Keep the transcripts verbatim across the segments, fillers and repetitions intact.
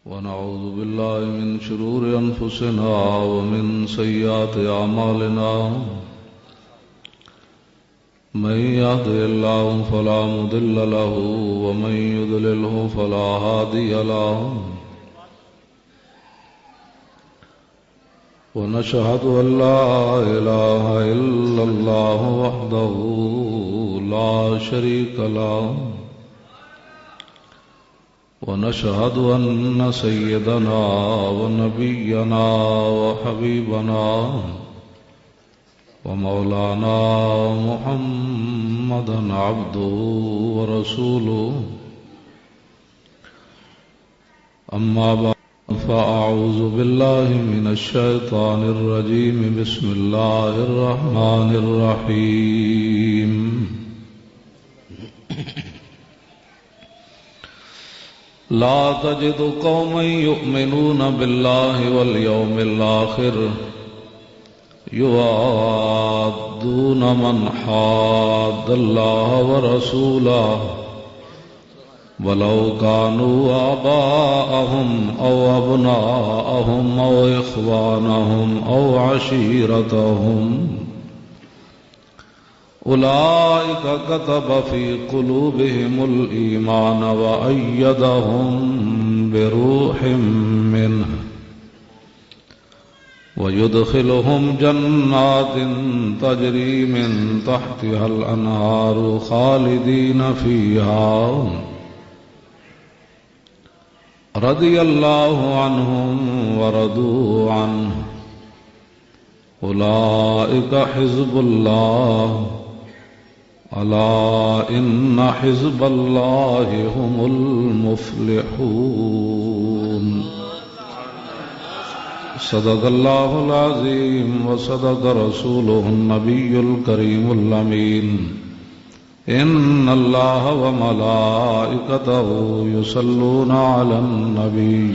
ونعوذ بالله من شرور أنفسنا ومن سيئات أعمالنا. من يهده الله فلا مضل له، ومن يضلله فلا هادي له. ونشهد أن لا إله إلا الله وحده لا شريك له، ونشهد أن سيدنا ونبينا وحبيبنا ومولانا محمدا عبده ورسوله. أما بعد، فأعوذ بالله من الشيطان الرجيم. بسم الله الرحمن الرحيم. لا تجد قوما يؤمنون بالله واليوم الآخر يوادون من حاد الله ورسوله ولو كانوا آباءهم أو أبناءهم أو إخوانهم أو عشيرتهم أولئك كتب في قلوبهم الإيمان وأيدهم بروح منه ويدخلهم جنات تجري من تحتها الأنهار خالدين فيها رضي الله عنهم ورضوا عنه أولئك حزب الله ألا إن حزب الله هم المفلحون. صدق الله العظيم وصدق رسوله النبي الكريم الأمين. إن الله وملائكته يصلون على النبي.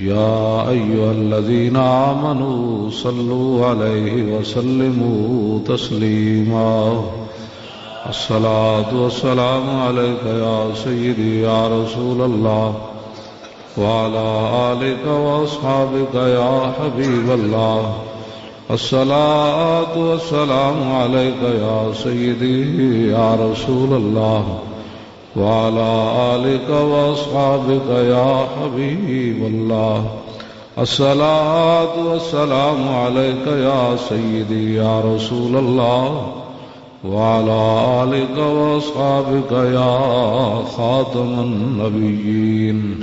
يا أيها الذين آمنوا صلوا عليه وسلموا تسليما. الصلاة والسلام عليك يا سيدي يا رسول الله، وعلى آلك وأصحابك يا حبيب الله. الصلاة والسلام عليك يا سيدي يا رسول الله، وعلى آلك وأصحابك يا حبيب الله. الصلاة والسلام عليك يا سيدي يا رسول الله، وعلى آلك وأصحابك يا خاتم النبيين.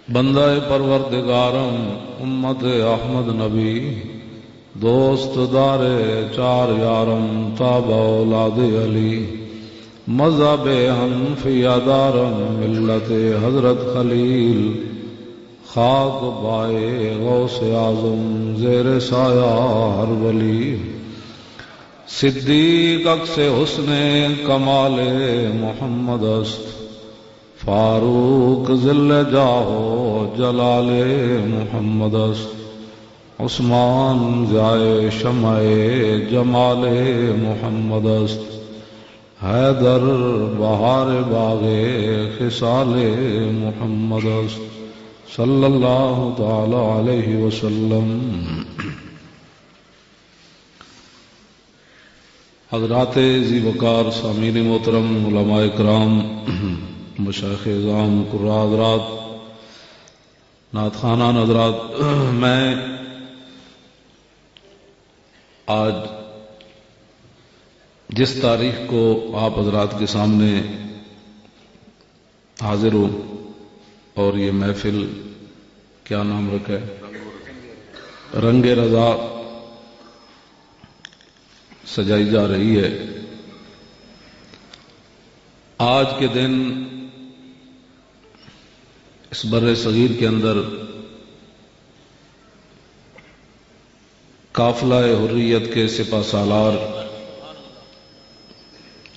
بندہ پروردگارم، امت احمد نبی، دوست دار چار یارم، تابع اولاد علی، مذہب حنفیہ دارم، ملت حضرت خلیل، خاک بائے غوث اعظم، زیر سایہ ہر ولی۔ صدیق عکس حسن کمال محمد است، فاروق ظل جاہ و جلال محمد است، عثمان ضیاء شمع جمال محمد است، حیدر بہار باغ خصال محمد است، صلی اللہ تعالی علیہ وسلم۔ حضرات ذی وقار، سامعین محترم، علماء کرام، مشائخ اعظام، قراء حضرات، نعت خوانان حضرات، میں آج جس تاریخ کو آپ حضرات کے سامنے حاضر ہوں اور یہ محفل، کیا نام رکھا ہے، رنگ رضا سجائی جا رہی ہے۔ آج کے دن اس بر صغیر کے اندر قافلہ حریت کے سپہ سالار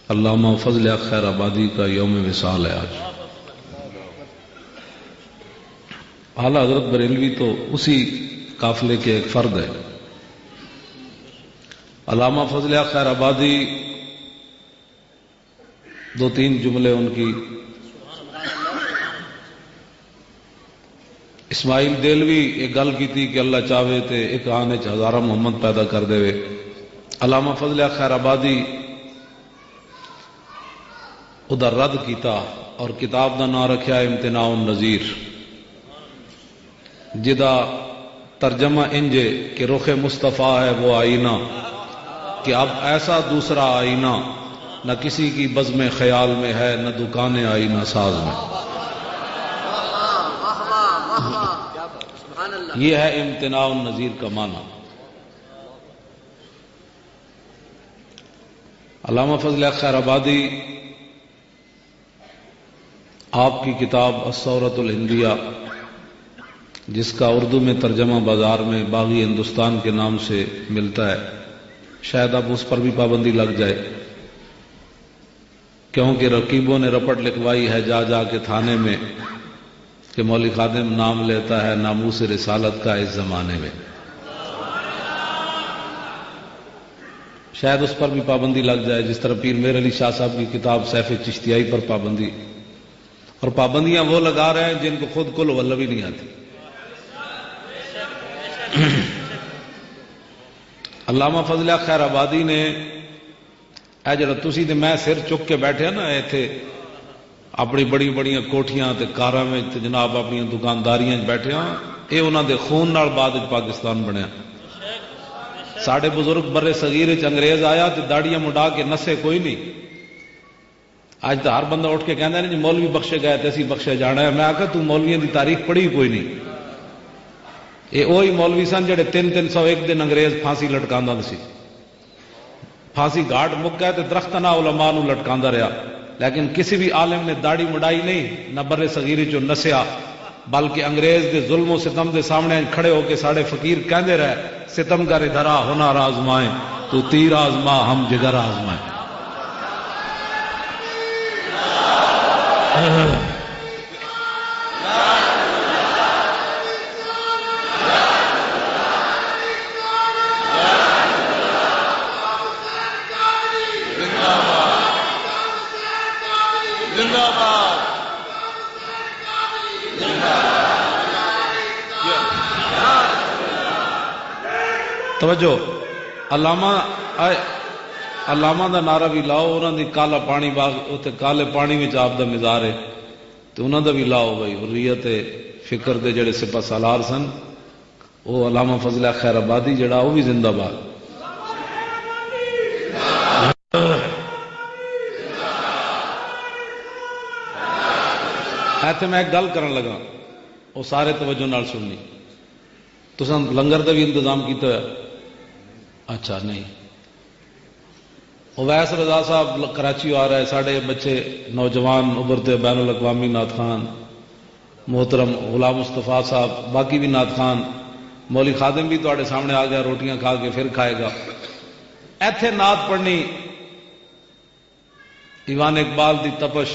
علامہ فضل حق خیر آبادی کا یوم وصال ہے آج۔ اعلیٰ حضرت بریلوی تو اسی قافلے کے ایک فرد ہے۔ علامہ فضل حق خیر آبادی، دو تین جملے ان کی اسماعیل دہلوی ایک گل کیتی کہ اللہ چاہے تے ایک آن وچ ہزاراں محمد پیدا کر دے۔ علامہ فضل خیر آبادی ادا رد کیتا اور کتاب دا نام رکھیا امتناع النظیر، جدا ترجمہ انج ہے کہ رخ مصطفیٰ ہے وہ آئینہ، کہ اب ایسا دوسرا آئینہ نہ کسی کی بزم خیال میں ہے، نہ دکان آئینہ ساز میں۔ یہ ہے امتناع النظیر کا معنی۔ علامہ فضل خیر آبادی، آپ کی کتاب الثورۃ الہندیہ، جس کا اردو میں ترجمہ بازار میں باغی ہندوستان کے نام سے ملتا ہے، شاید اب اس پر بھی پابندی لگ جائے، کیونکہ رقیبوں نے رپٹ لکھوائی ہے جا جا کے تھانے میں کہ مولوی خادم نام لیتا ہے ناموس رسالت کا اس زمانے میں۔ شاید اس پر بھی پابندی لگ جائے، جس طرح پیر میر علی شاہ صاحب کی کتاب سیف چشتیائی پر پابندی، اور پابندیاں وہ لگا رہے ہیں جن کو خود کل ولہ بھی نہیں آتی۔ علامہ فضل خیر آبادی نے، اے جڑا تسی تے میں سر چک کے بیٹھے نا ایتھے، اپنی بڑی بڑیاں کوٹھیاں تے کاراں وچ تے جناب اپنیاں دکانداریاں وچ بیٹھے ہاں، اے انہاں دے خون نال بعد وچ پاکستان بنیا۔ ساڈے بزرگ برے صغیر وچ انگریز آیا تے داڑیاں منڈا کے نسے کوئی نہیں۔ اج تو ہر بندہ اٹھ کے کہندا ہے جی مولوی بخشے گئے تے اسی بخشے جانا ہے۔ میں آکھا تو مولویاں دی تاریخ پڑھی کوئی نہیں۔ اے اوہی مولوی سن جڑے تین تین سو ایک دن انگریز پھانسی لٹکاندا سی۔ پھانسی گھاٹ مک گئے تے درخت نہ علماء نو لٹکاندا رہیا، لیکن کسی بھی عالم نے داڑھی مڈائی نہیں، نہ برے صغیری چوں نسیا، بلکہ انگریز دے ظلم و ستم دے سامنے کھڑے ہو کے ساڈے فقیر کہندے رہے، "ستمگر ادھر آ، ہنر آزمائیں، تو تیر آزما، ہم جگر آزمائیں۔" توجہ، علامہ، علامہ دا نعرہ بھی لاؤ، انہاں دی کالا پانی باغ، اتھے کالے پانی وچ آپ دا مزار ہے، تے انہاں دا بھی لاؤ بھائی، حریت فکر دے جڑے سپہ سالار سن، او علامہ فضل خیر آبادی جڑا، او بھی زندہ باد۔ ایتھے میں ایک گل کرن لگا، او سارے توجہ نال سننی۔ تساں لنگر دا بھی انتظام کیتا ہویا؟ اچھا، نہیں۔ اویس رضا صاحب ل-، کراچی آ رہا ہے، ساڈے بچے نوجوان ابھرتے بین الاقوامی نعت خان محترم غلام مصطفیٰ صاحب، باقی بھی نعت خان، مولوی خادم بھی تہاڈے سامنے آ گیا، روٹیاں کھا کے پھر کھائے گا۔ ایتھے نعت پڑھنی، ایوان اقبال دی تپش،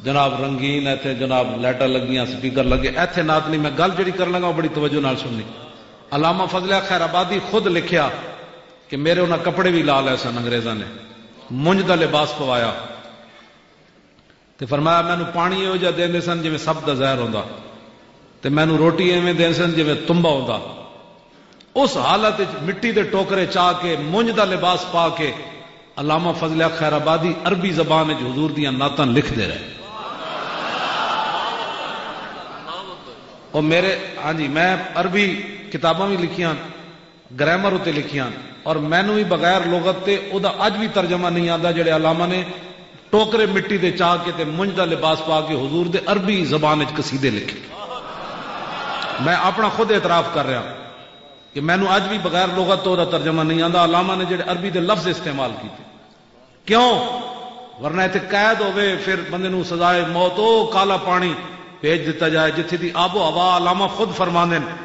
جناب رنگین، ایتھے جناب لائٹاں لگیاں، سپیکر لگے، ایتھے نعت نہیں، میں گل جڑی کرن لگا، وہ بڑی توجہ نال سننی۔ علامہ فضل خیر آبادی خود لکھیا کہ میرے انہاں کپڑے بھی لا لے سن انگریزاں نے، مونج دا لباس پوایا۔ تے فرمایا، مینوں پانی ایہو جہا دیندے سن جویں سب دا زہر ہوندا، تے مینوں روٹی ایویں دیندے سن جویں تمبا ہوندا۔ اس حالت وچ مٹی دے ٹوکرے چا کے، مونج دا لباس پا کے، علامہ فضل حق خیر آبادی عربی زبان وچ حضور دیاں نعتاں لکھدے رہے۔ او میرے، ہاں جی، میں عربی کتاباں بھی لکھیاں، گرامر اتے لکھیاں، اور مینوں بھی بغیر لغت تے او دا اج بھی ترجمہ نہیں آندا، جڑے علامہ نے ٹوکرے مٹی دے چاہ کے تے منج دا لباس پا کے حضور دے عربی زبان وچ قصیدے لکھے۔ میں اپنا خود اعتراف کر رہا کہ مینوں اج بھی بغیر لغت تو دا ترجمہ نہیں آندا۔ علامہ نے جڑے عربی دے لفظ استعمال کیتے، کیوں؟ ورنہ اتنے قید ہوے، پھر بندے نوں سزائے موت، او کالا پانی بھیج دتا جائے، جتھے دی آب و ہوا۔ علامہ خود فرماندے نے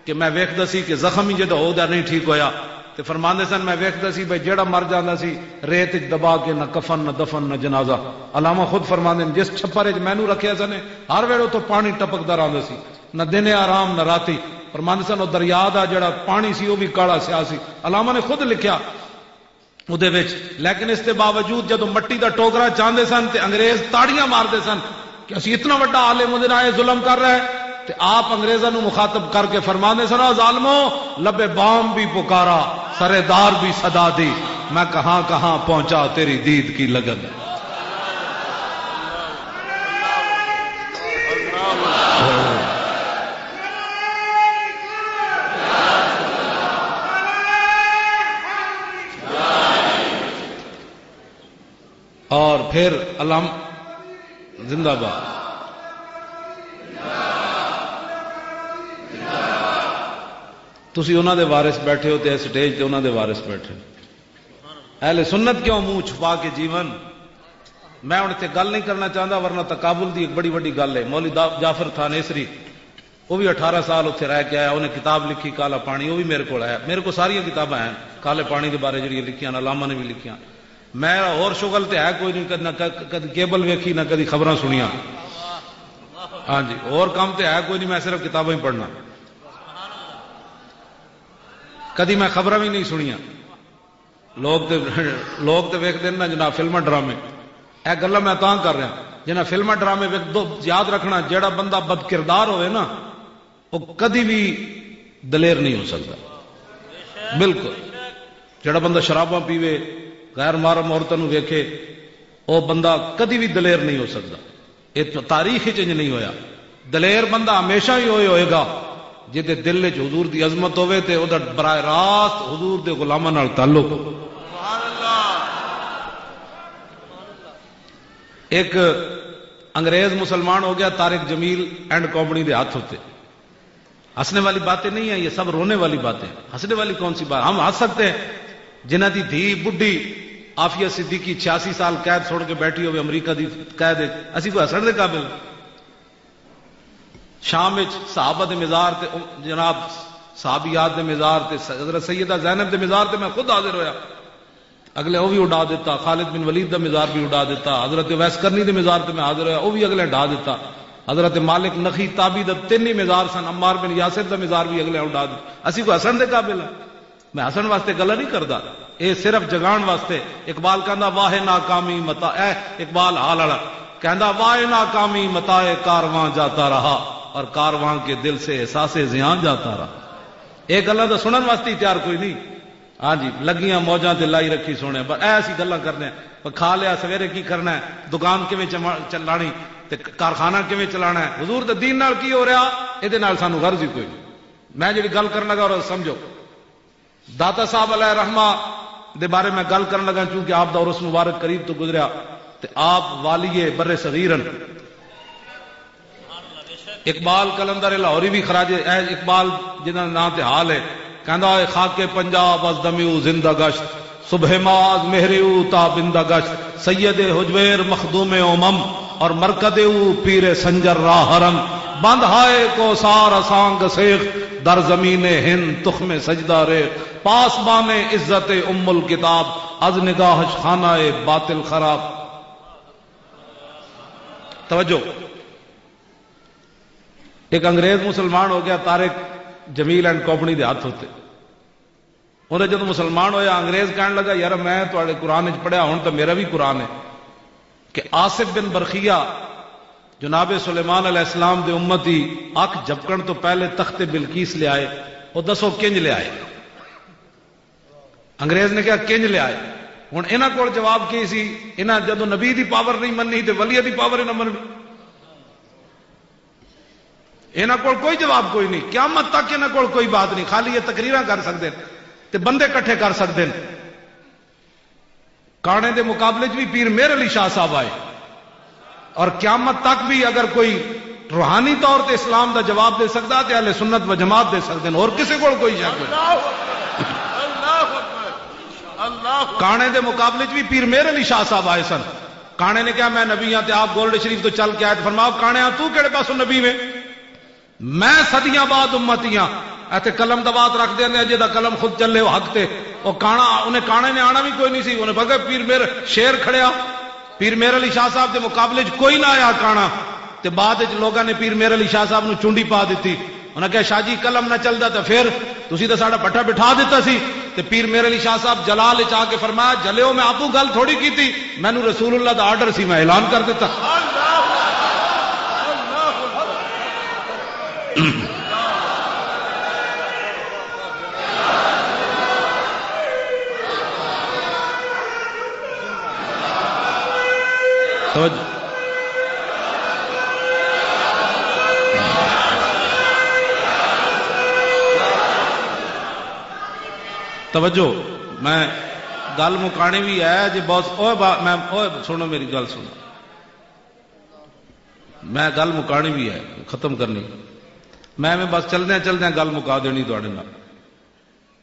کہ میں ویکھدا سی کہ زخم ہی جدا ہو دا نہیں ٹھیک ہویا، تے فرماندے سن، میں ویکھدا سی بھئی جیڑا مر جاندا سی، ریت وچ دبا کے، نہ کفن، نہ دفن، نہ جنازہ۔ علامہ خود فرماندے نے، جس چھپر وچ مینوں رکھیا سن، ہر ویلے اتھوں پانی ٹپکدا رہندا سی، نہ دن آرام نہ راتی۔ فرماندے سن، او دریا دا جیڑا پانی سی، او بھی کالا سیاہ سی۔ علامہ نے خود لکھیا اودے وچ، لیکن اس دے باوجود جدوں مٹی دا ٹوکرا چاہندے سن تے انگریز تاڑیاں ماردے سن کہ اسی اتنا وڈا عالم اودے نال اے ظلم کر رہا ہے۔ تے آپ انگریزاں نوں مخاطب کر کے فرماندے سن، "او ظالمو، لبے بام بھی پکارا، سرے دار بھی صدا دی، میں کہاں کہاں پہنچا تیری دید کی لگن۔" اور پھر علم زندہ باد۔ تسی انہاں دے وارث بیٹھے ہو تے سٹیج تے انہاں دے وارث بیٹھے ہو۔ اہل سنت کیوں منہ چھپا کے جیون؟ میں ہن اتھے گل نہیں کرنا چاہندا، ورنہ تقابل دی ایک بڑی وڈی گل ہے۔ مولوی دا-، جعفر تھانیسری، وہ بھی اٹھارہ سال اتھے رہ کے آیا، انہیں کتاب لکھی کالا پانی، وہ بھی میرے کول آیا، میرے کول ساریاں کتاباں ہیں کالے پانی دے بارے جڑیاں لکھیاں نے، علامہ نے بھی لکھیاں۔ میں اور شغل تے ہے کوئی نہیں، کد-، نہ ک-، کدی کیبل ویکھی، نہ کدی خبراں سنیاں۔ ہاں جی، اور کم تے ہے کوئی نہیں، میں صرف کتاباں ہی پڑھنا۔ کدی میں خبراں بھی نہیں سنیاں۔ لوگ تے، لوگ تے ویکھدے نے نا جناب فلماں ڈرامے۔ اے گلاں میں تاں کر رہا، جنہاں فلماں ڈرامے ویکھ دو، یاد رکھنا، جیڑا بندہ بد کردار ہوئے نا، وہ کدی بھی دلیر نہیں ہو سکتا۔ بالکل۔ جڑا بندہ شراباں پیوے، غیر محرم عورتوں نوں ویکھے، وہ بندہ کدی بھی دلیر نہیں ہو سکتا۔ یہ تو تاریخ وچ انج نہیں ہویا۔ دلیر بندہ ہمیشہ ہی ہوئے ہوئے گا جدے دل وچ حضور دی عظمت ہوئے تے او دا براہ راست حضور دے غلاماں نال تعلق ہو۔ ایک انگریز مسلمان ہو گیا، طارق جمیل اینڈ کمپنی دے ہاتھ ہوتے۔ ہنسنے والی باتیں نہیں ہیں، یہ سب رونے والی باتیں ہیں۔ ہنسنے والی کون سی بات؟ ہم ہنس سکتے ہیں۔ جنہ دی دھی بڈھی عافیہ صدیقی چھیاسی سال قید سن کے بیٹھی ہوئے امریکہ دی قید ہے، اسی کوئی ہنسن دے قابل؟ شام وچ صحابہ دے مزار تے، جناب، صحابیات دے مزار تے، حضرت سیدہ زینب دے مزار تے میں خود حاضر ہویا۔ اگلے وہ بھی اڈا دیتا، خالد بن ولید دا مزار بھی اڈا دیتا، حضرت ویس کرنی دے مزار تے میں حاضر ہویا، وہ بھی اگلے اڈا دیتا۔ حضرت مالک نخی تابی دا تین ہی مزار سن، عمار بن یاسر دا مزار بھی اگلے اڈا دیتا۔ اسی کوئی ہسن دے قابل ہاں؟ میں ہسن واسطے گلا نہیں کردا، اے صرف جگان واسطے۔ اقبال کہندا، "واہ ناکامی متا"، اے اقبال حال والا کہندا، "واہ ناکامی متا کارواں جاتا رہا، اور کارواں کے دل سے احساس زیان جاتا رہا۔" اے گلاں دا سنن واسطے ہی تیار کوئی نہیں۔ ہاں جی، لگیاں موجاں تے لائی رکھی سونے، بس ایسی گلاں کرنے ہیں۔ پر کھا لیا، سویرے کی کرنا ہے، دکان کیویں چما-، چلانی، تے کارخانہ کیویں چلانا ہے، حضور دے دین نال کی ہو رہا، اے دے نال سانو غرض ہی کوئی نہیں۔ میں جڑی گل کرن لگا، اور سمجھو، داتا صاحب علیہ رحمہ دے بارے میں گل کرن لگا، چونکہ آپ دا عرس مبارک قریب تو گزریا، تے آپ والی بر صغیر ہن۔ اقبال قلندر لاہوری بھی خراج اے اقبال جنہاں نام تے حال ہے، کہندا ہے، "خاک پنجاب از دمیو زندہ گشت، صبح ما از مہریو تا بندہ گشت، سید حجویر مخدوم امم اور مرکد او پیر سنجر راہرن، بند ہائے کوثار اسانگ سیخ، در زمین ہند تخم سجدہ ریخ، پاسبان عزت ام الکتاب، از نگاہش خانہ باطل خراب۔" توجہ۔ ایک انگریز مسلمان ہو گیا، طارق جمیل اینڈ کمپنی دے ہاتھ ہوتے۔ انہیں جدوں مسلمان ہویا، انگریز کہن لگا، "یار، میں تہاڈے قرآن وچ پڑھیا، ہن تاں میرا بھی قرآن ہے کہ آصف بن برخیہ جناب سلیمان علیہ السلام دے امتی اکھ جھپکن تو پہلے تخت بلقیس لے آئے، وہ دسو کنج لے آئے؟" انگریز نے کہا، "کنج لے آئے؟" ہن انہاں کول جواب کی سی؟ انہاں جدوں نبی دی پاور نہیں مننی تے ولی دی پاور ہی نہ مننی۔ انہاں کول کوئی جواب کوئی نہیں، قیامت تک انہاں کول کوئی بات نہیں، خالی یہ تقریراں کر سکدے ہیں تے بندے اکٹھے کر سکدے ہیں۔ کانے دے مقابلے چ بھی پیر مہر علی شاہ صاحب آئے، اور قیامت تک بھی اگر کوئی روحانی طور تے اسلام دا جواب دے سکدا تے اہل سنت و جماعت دے سکدے ہیں، اور کسے کول کوئی شک نہیں۔ کانے دے مقابلے چ بھی پیر مہر علی شاہ صاحب آئے سن۔ کانے نے کہا، "میں نبی ہاں"، تے آپ گولڈ شریف تو چل کے آئے تے فرمایا، "کانے ہاں، تو کہڑے پاسوں نبی ویں؟" میں صدیاں بعد امتی ہاں۔ ایتھے قلم دا بات رکھ دیندے ہیں، جے دا قلم خود چلے وہ حق تے۔ وہ کانا، انہیں کانے نے آنا بھی کوئی نہیں سی، انہیں پکا پیر میر شیر کھڑیا، پیر میر علی شاہ صاحب دے مقابلے چ کوئی نہ آیا کانا۔ تے بعد وچ لوگاں نے پیر میر علی شاہ صاحب نو چونڈی پا دتی۔ انہاں کہا، "شاہ جی، قلم نہ چلدا تے پھر تسی تے ساڈا بٹھا بٹھا دتا سی۔" تے پیر میر علی شاہ صاحب جلال وچ آ کے فرمایا، "جلیو، میں آپوں گل تھوڑی کیتی، مینوں رسول اللہ دا آرڈر سی، میں اعلان کر دتا۔" توجہ، توجہ۔ میں گل مکانی بھی ہے جی، بہت، اوے با-، میں، اوے سنو میری گل سنو۔ میں گل مکانی بھی ہے، ختم کرنی۔ میں ایویں بس چلدیاں چلدیاں گل مکا دینی تہاڈے نال۔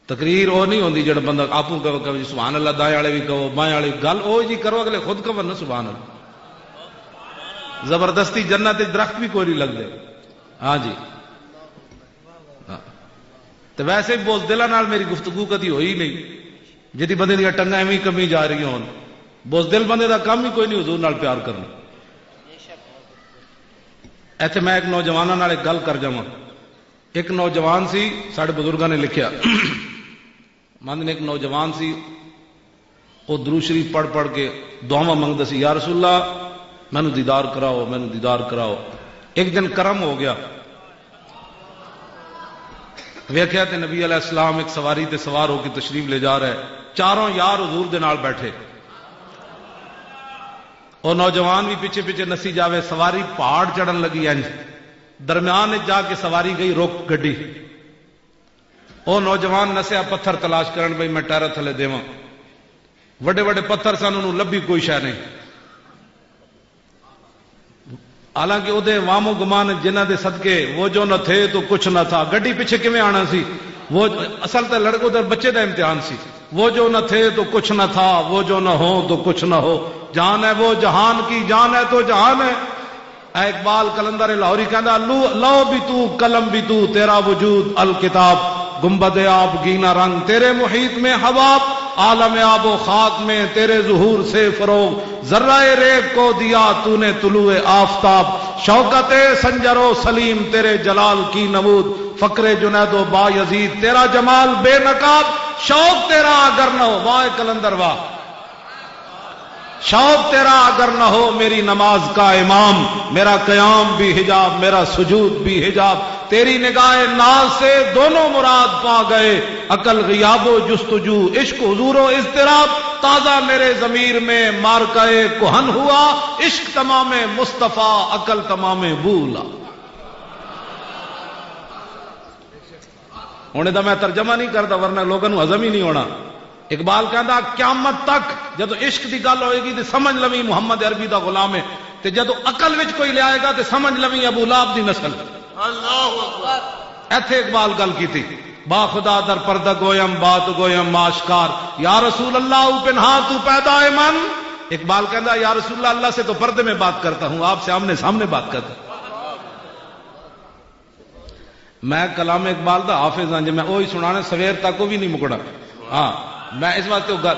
تقریر او نہیں ہوندی جڑا بندہ آپوں کہو، کہو جی سبحان اللہ، دائیں والے بھی کہو، بائیں والے بھی۔ گل او جی کرو، اگلے خود کہو نا سبحان اللہ۔ زبردستی جنت وچ درخت بھی کوئی نہیں لگدے۔ ہاں جی۔ ہاں۔ تے ویسے بھی بزدلاں نال میری گفتگو کدی ہوئی نہیں، جدی بندے دیاں ٹنگاں ایویں کمی جا رہی ہون۔ بزدل بندے دا کم ہی کوئی نہیں حضور نال پیار کرنا۔ ایتھے میں ایک نوجواناں نال ایک گل کر جاواں۔ ایک نوجوان سی، ساڈے بزرگاں نے لکھیا، مند نے ایک نوجوان سی، وہ درود شریف پڑھ پڑھ کے دعاواں منگدا سی، "یا رسول اللہ، مینوں دیدار کراؤ، مینوں دیدار کراؤ۔" ایک دن کرم ہو گیا، ویکھیا تے نبی علیہ السلام ایک سواری تے سوار ہو کے تشریف لے جا رہا ہے، چاروں یار حضور دے نال بیٹھے، اور نوجوان بھی پیچھے پیچھے نسی جاوے، سواری پہاڑ چڑھن لگی، انج درمیان وچ جا کے سواری گئی، رک گڈی۔ او نوجوان نسیا پتھر تلاش کرن، بھئی میں ٹائر تھلے دیواں۔ وڈے وڈے پتھر سن، انہوں لبھی کوئی شے نہیں۔ حالانکہ او دے وام و گمان جنہاں دے صدقے وہ جو نہ تھے تو کچھ نہ تھا، گڈی پیچھے کیویں آنا سی؟ وہ اصل تے لڑکے ادھر بچے دا امتحان سی۔ وہ جو نہ تھے تو کچھ نہ تھا، وہ جو نہ ہو تو کچھ نہ ہو۔ جان ہے وہ جہان کی، جان ہے تو جہان ہے۔ اے اقبال قلندر لاہوری کہندا، "لو، لو بھی تو، قلم بھی تو، تیرا وجود الکتاب، گنبد آبگینہ رنگ، تیرے محیط میں حباب، عالم آب و خاک میں تیرے ظہور سے فروغ، ذرہ ریگ کو دیا تو نے طلوع آفتاب، شوکت سنجر و سلیم تیرے جلال کی نمود، فقر جنید و بایزید تیرا جمال بے نقاب، شوق تیرا اگر نہ ہو۔" واہ قلندر واہ۔ شوق تیرا اگر نہ ہو میری نماز کا امام، میرا قیام بھی حجاب، میرا سجود بھی حجاب۔ تیری نگاہ ناز سے دونوں مراد پا گئے، عقل غیاب و جستجو، عشق حضور و اضطراب۔ تازہ میرے ضمیر میں معرکہ کہن ہوا، عشق تمام مصطفیٰ، عقل تمام بولا۔ ہن ادا میں ترجمہ نہیں کردا، ورنہ لوگاں نوں ہضم ہی نہیں ہونا۔ اقبال کہندا، قیامت تک جدوں عشق دی گل ہوئے گی تے سمجھ لویں محمد عربی دا غلام ہے، تے جدوں عقل وچ کوئی لے آئے گا تے سمجھ لویں ابو لہب دی نسل۔ اللہ اکبر۔ ایتھے اقبال گل کیتی، "با خدا در پردہ گویم، بات گویم آشکار، یا رسول اللہ او پنہاں تو پیدا ہے من۔" اقبال کہندا، "یا رسول اللہ، اللہ سے تو پردے میں بات کرتا ہوں، آپ سے آمنے سامنے بات کرتا ہوں۔" میں کلام اقبال دا حافظ ہاں، جے میں اوہی سنانا سویر تک، وہ بھی نہیں مکنا۔ ہاں، میں اس واسطے وہ گل،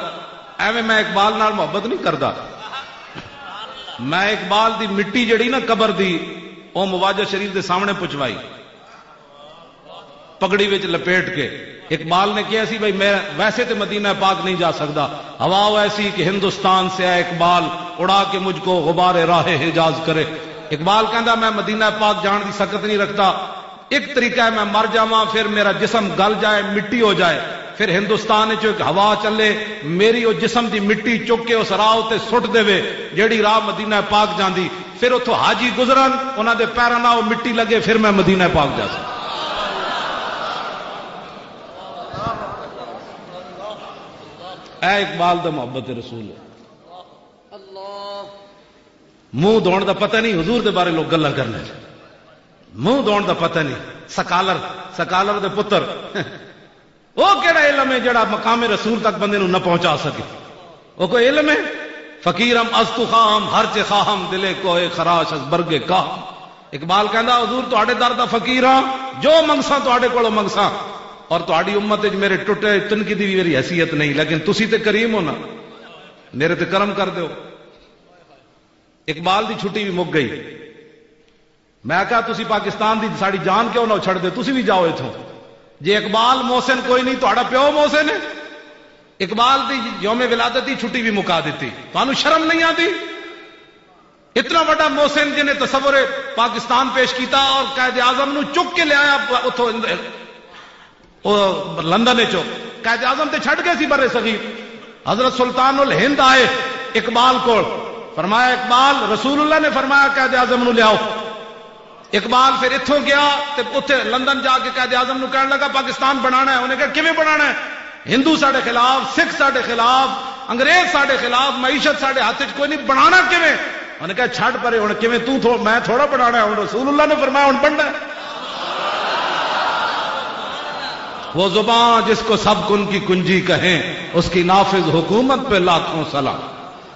ایویں میں اقبال نال محبت نہیں کردا۔ میں اقبال دی مٹی جڑی نا قبر دی، او مواجہ شریف دے سامنے پچوائی، پگڑی وچ لپیٹ کے۔ اقبال نے کہا سی، "بھائی، میں ویسے تے مدینہ پاک نہیں جا سکدا، ہوا وہ ایسی کہ ہندوستان سے آئے اقبال، اڑا کے مجھ کو غبار راہ حجاز کرے۔" اقبال کہندا، "میں مدینہ پاک جان دی سکت نہیں رکھدا، ایک طریقہ ہے، میں مر جاواں، پھر میرا جسم گل جائے، مٹی ہو جائے، پھر ہندوستان وچ ایک ہوا چلے، میری او جسم دی مٹی چک کے اس راہ تے سٹ دے، جیڑی راہ مدینہ پاک جاندی، پھر اتھوں حاجی گزرن، انہاں دے پیراں نال او مٹی لگے، پھر میں مدینہ پاک جا سکاں۔" اے اقبال دا محبت رسول ہے۔ منہ دھون دا پتہ نہیں، حضور دے بارے لوگ گلاں کرنے۔ منہ دھون دا پتہ نہیں۔ سکالر، سکالر دے پتر۔ وہ کیڑا علم ہے جڑا مقام رسول تک بندے نوں نہ پہنچا سکے؟ وہ کوئی علم ہے؟ فقیرم از تو خواہم، ہر چہ خواہم، دلے کوہ خراش از برگ کاہم۔ اقبال کہندا، "حضور، تہاڈے در دا فقیر ہاں، جو منگساں تہاڈے کولوں منگساں، اور تہاڈی امت وچ میرے ٹٹے تنکی دی بھی میری حیثیت نہیں، لیکن تسی تے کریم ہو نا، میرے تے کرم کر دیو۔" اقبال دی چھٹی بھی مک گئی۔ میں کہا، "تسی پاکستان دی ساڈی جان کیوں نہ چھڑ دے، تسی بھی جاؤ اتھوں۔" جے اقبال محسن کوئی نہیں، تہاڈا پیو محسن ہے؟ اقبال دی یوم ولادت دی چھٹی بھی مکا دتی۔ تانوں شرم نہیں آندی؟ اتنا بڑا محسن جنہیں تصور پاکستان پیش کیتا اور قائد اعظم نو چک کے لے آیا اتھوں، او لندن وچوں۔ قائد اعظم تے چھڈ گئے سی بر صغیر۔ حضرت سلطان الہند آئے اقبال کول، فرمایا، "اقبال، رسول اللہ نے فرمایا قائد اعظم نو لیاؤ۔" اقبال پھر اتھوں گیا تے اتھے لندن جا کے قائد اعظم نو کہن لگا، "پاکستان بنانا ہے۔" انہیں کہا، "کیویں بنانا ہے؟ ہندو ساڈے خلاف، سکھ ساڈے خلاف، انگریز ساڈے خلاف، معیشت ساڈے ہاتھ وچ کوئی نہیں، بنانا کیویں؟" انہیں کہا، "چھڈ پرے، ہن کیویں توں تھو-، میں تھوڑا بنانا ہے، ہن رسول اللہ نے فرمایا، ہن بننا ہے۔" وہ زبان جس کو سب کن کی کنجی کہیں، اس کی نافذ حکومت پہ لاکھوں سلام۔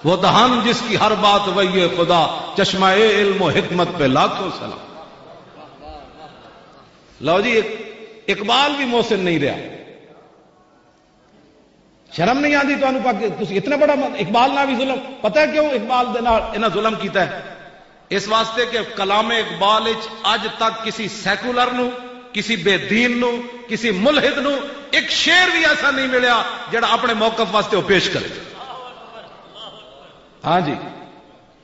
وہ دہان جس کی ہر بات وحی خدا، چشمہ علم و حکمت پہ لاکھوں سلام۔ لو جی، اق-، اقبال بھی محسن نہیں رہا۔ شرم نہیں آتی تمہیں؟ تسی اتنا بڑا م-، اقبال نہ بھی ظلم، پتہ ہے کیوں اقبال دے نال انہاں ظلم کیتا ہے؟ اس واسطے کہ کلام اقبال وچ اج تک کسی سیکولر نو، کسی بے دین نو، کسی ملحد نو ایک شعر بھی ایسا نہیں ملیا جڑا اپنے موقف واسطے وہ پیش کرے۔ ہاں جی،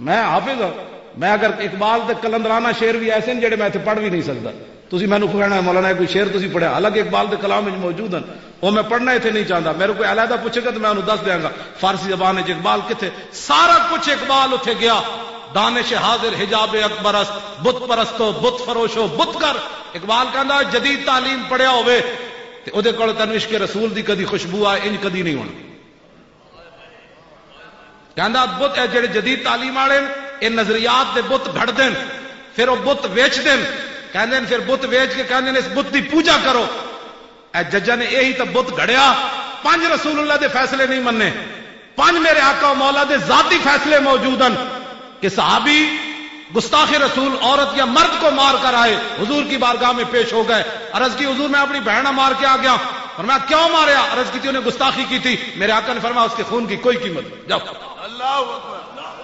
میں حافظ ہاں، میں اگر اقبال دے قلندرانہ شعر بھی ایسے ہیں جڑے میں اتھے پڑھ بھی نہیں سکدا۔ تسی مینوں کہنا ہے، "مولانا، یہ کوئی شعر تسی پڑھیا؟" حالانکہ اقبال دے کلام وچ موجود ہیں، وہ میں پڑھنا اتھے نہیں چاہتا۔ میرے کوئی علیحدہ پوچھے گا تو میں انہوں دس دیاں گا فارسی زبان وچ اقبال کتھے۔ سارا کچھ اقبال اتھے گیا۔ دانش حاضر حجاب اکبر است، بت پرستو، بت فروشو، بت کر۔ اقبال کہندا، جدید تعلیم پڑھیا ہوئے تے اودے کول تینوں عشق رسول دی کدی خوشبو آئے، انج کدی نہیں ہونا۔ کہندا، بت، اے جڑے جدید تعلیم والے نے، اے نظریات دے بت گھڑ دین، پھر وہ بت ویچ دین، کہندے نے، پھر بت ویچ کے کہندے نے، "اس بت دی پوجا کرو۔" اے ججاں نے یہی تو بت گھڑیا، پنج رسول اللہ دے فیصلے نہیں مننے، پنج میرے آقا و مولا دے ذاتی فیصلے موجود ہیں کہ صحابی گستاخ رسول عورت یا مرد کو مار کر آئے، حضور کی بارگاہ میں پیش ہو گئے، عرض کی، "حضور، میں اپنی بہن نہ مار کے آ گیا۔" فرمایا، "کیوں ماریا؟" عرض کی تھی، "انہیں گستاخی کی تھی۔" میرے آقا نے فرمایا، "اس کے خون کی کوئی قیمت نہیں، جاؤ۔" اللہ اکبر،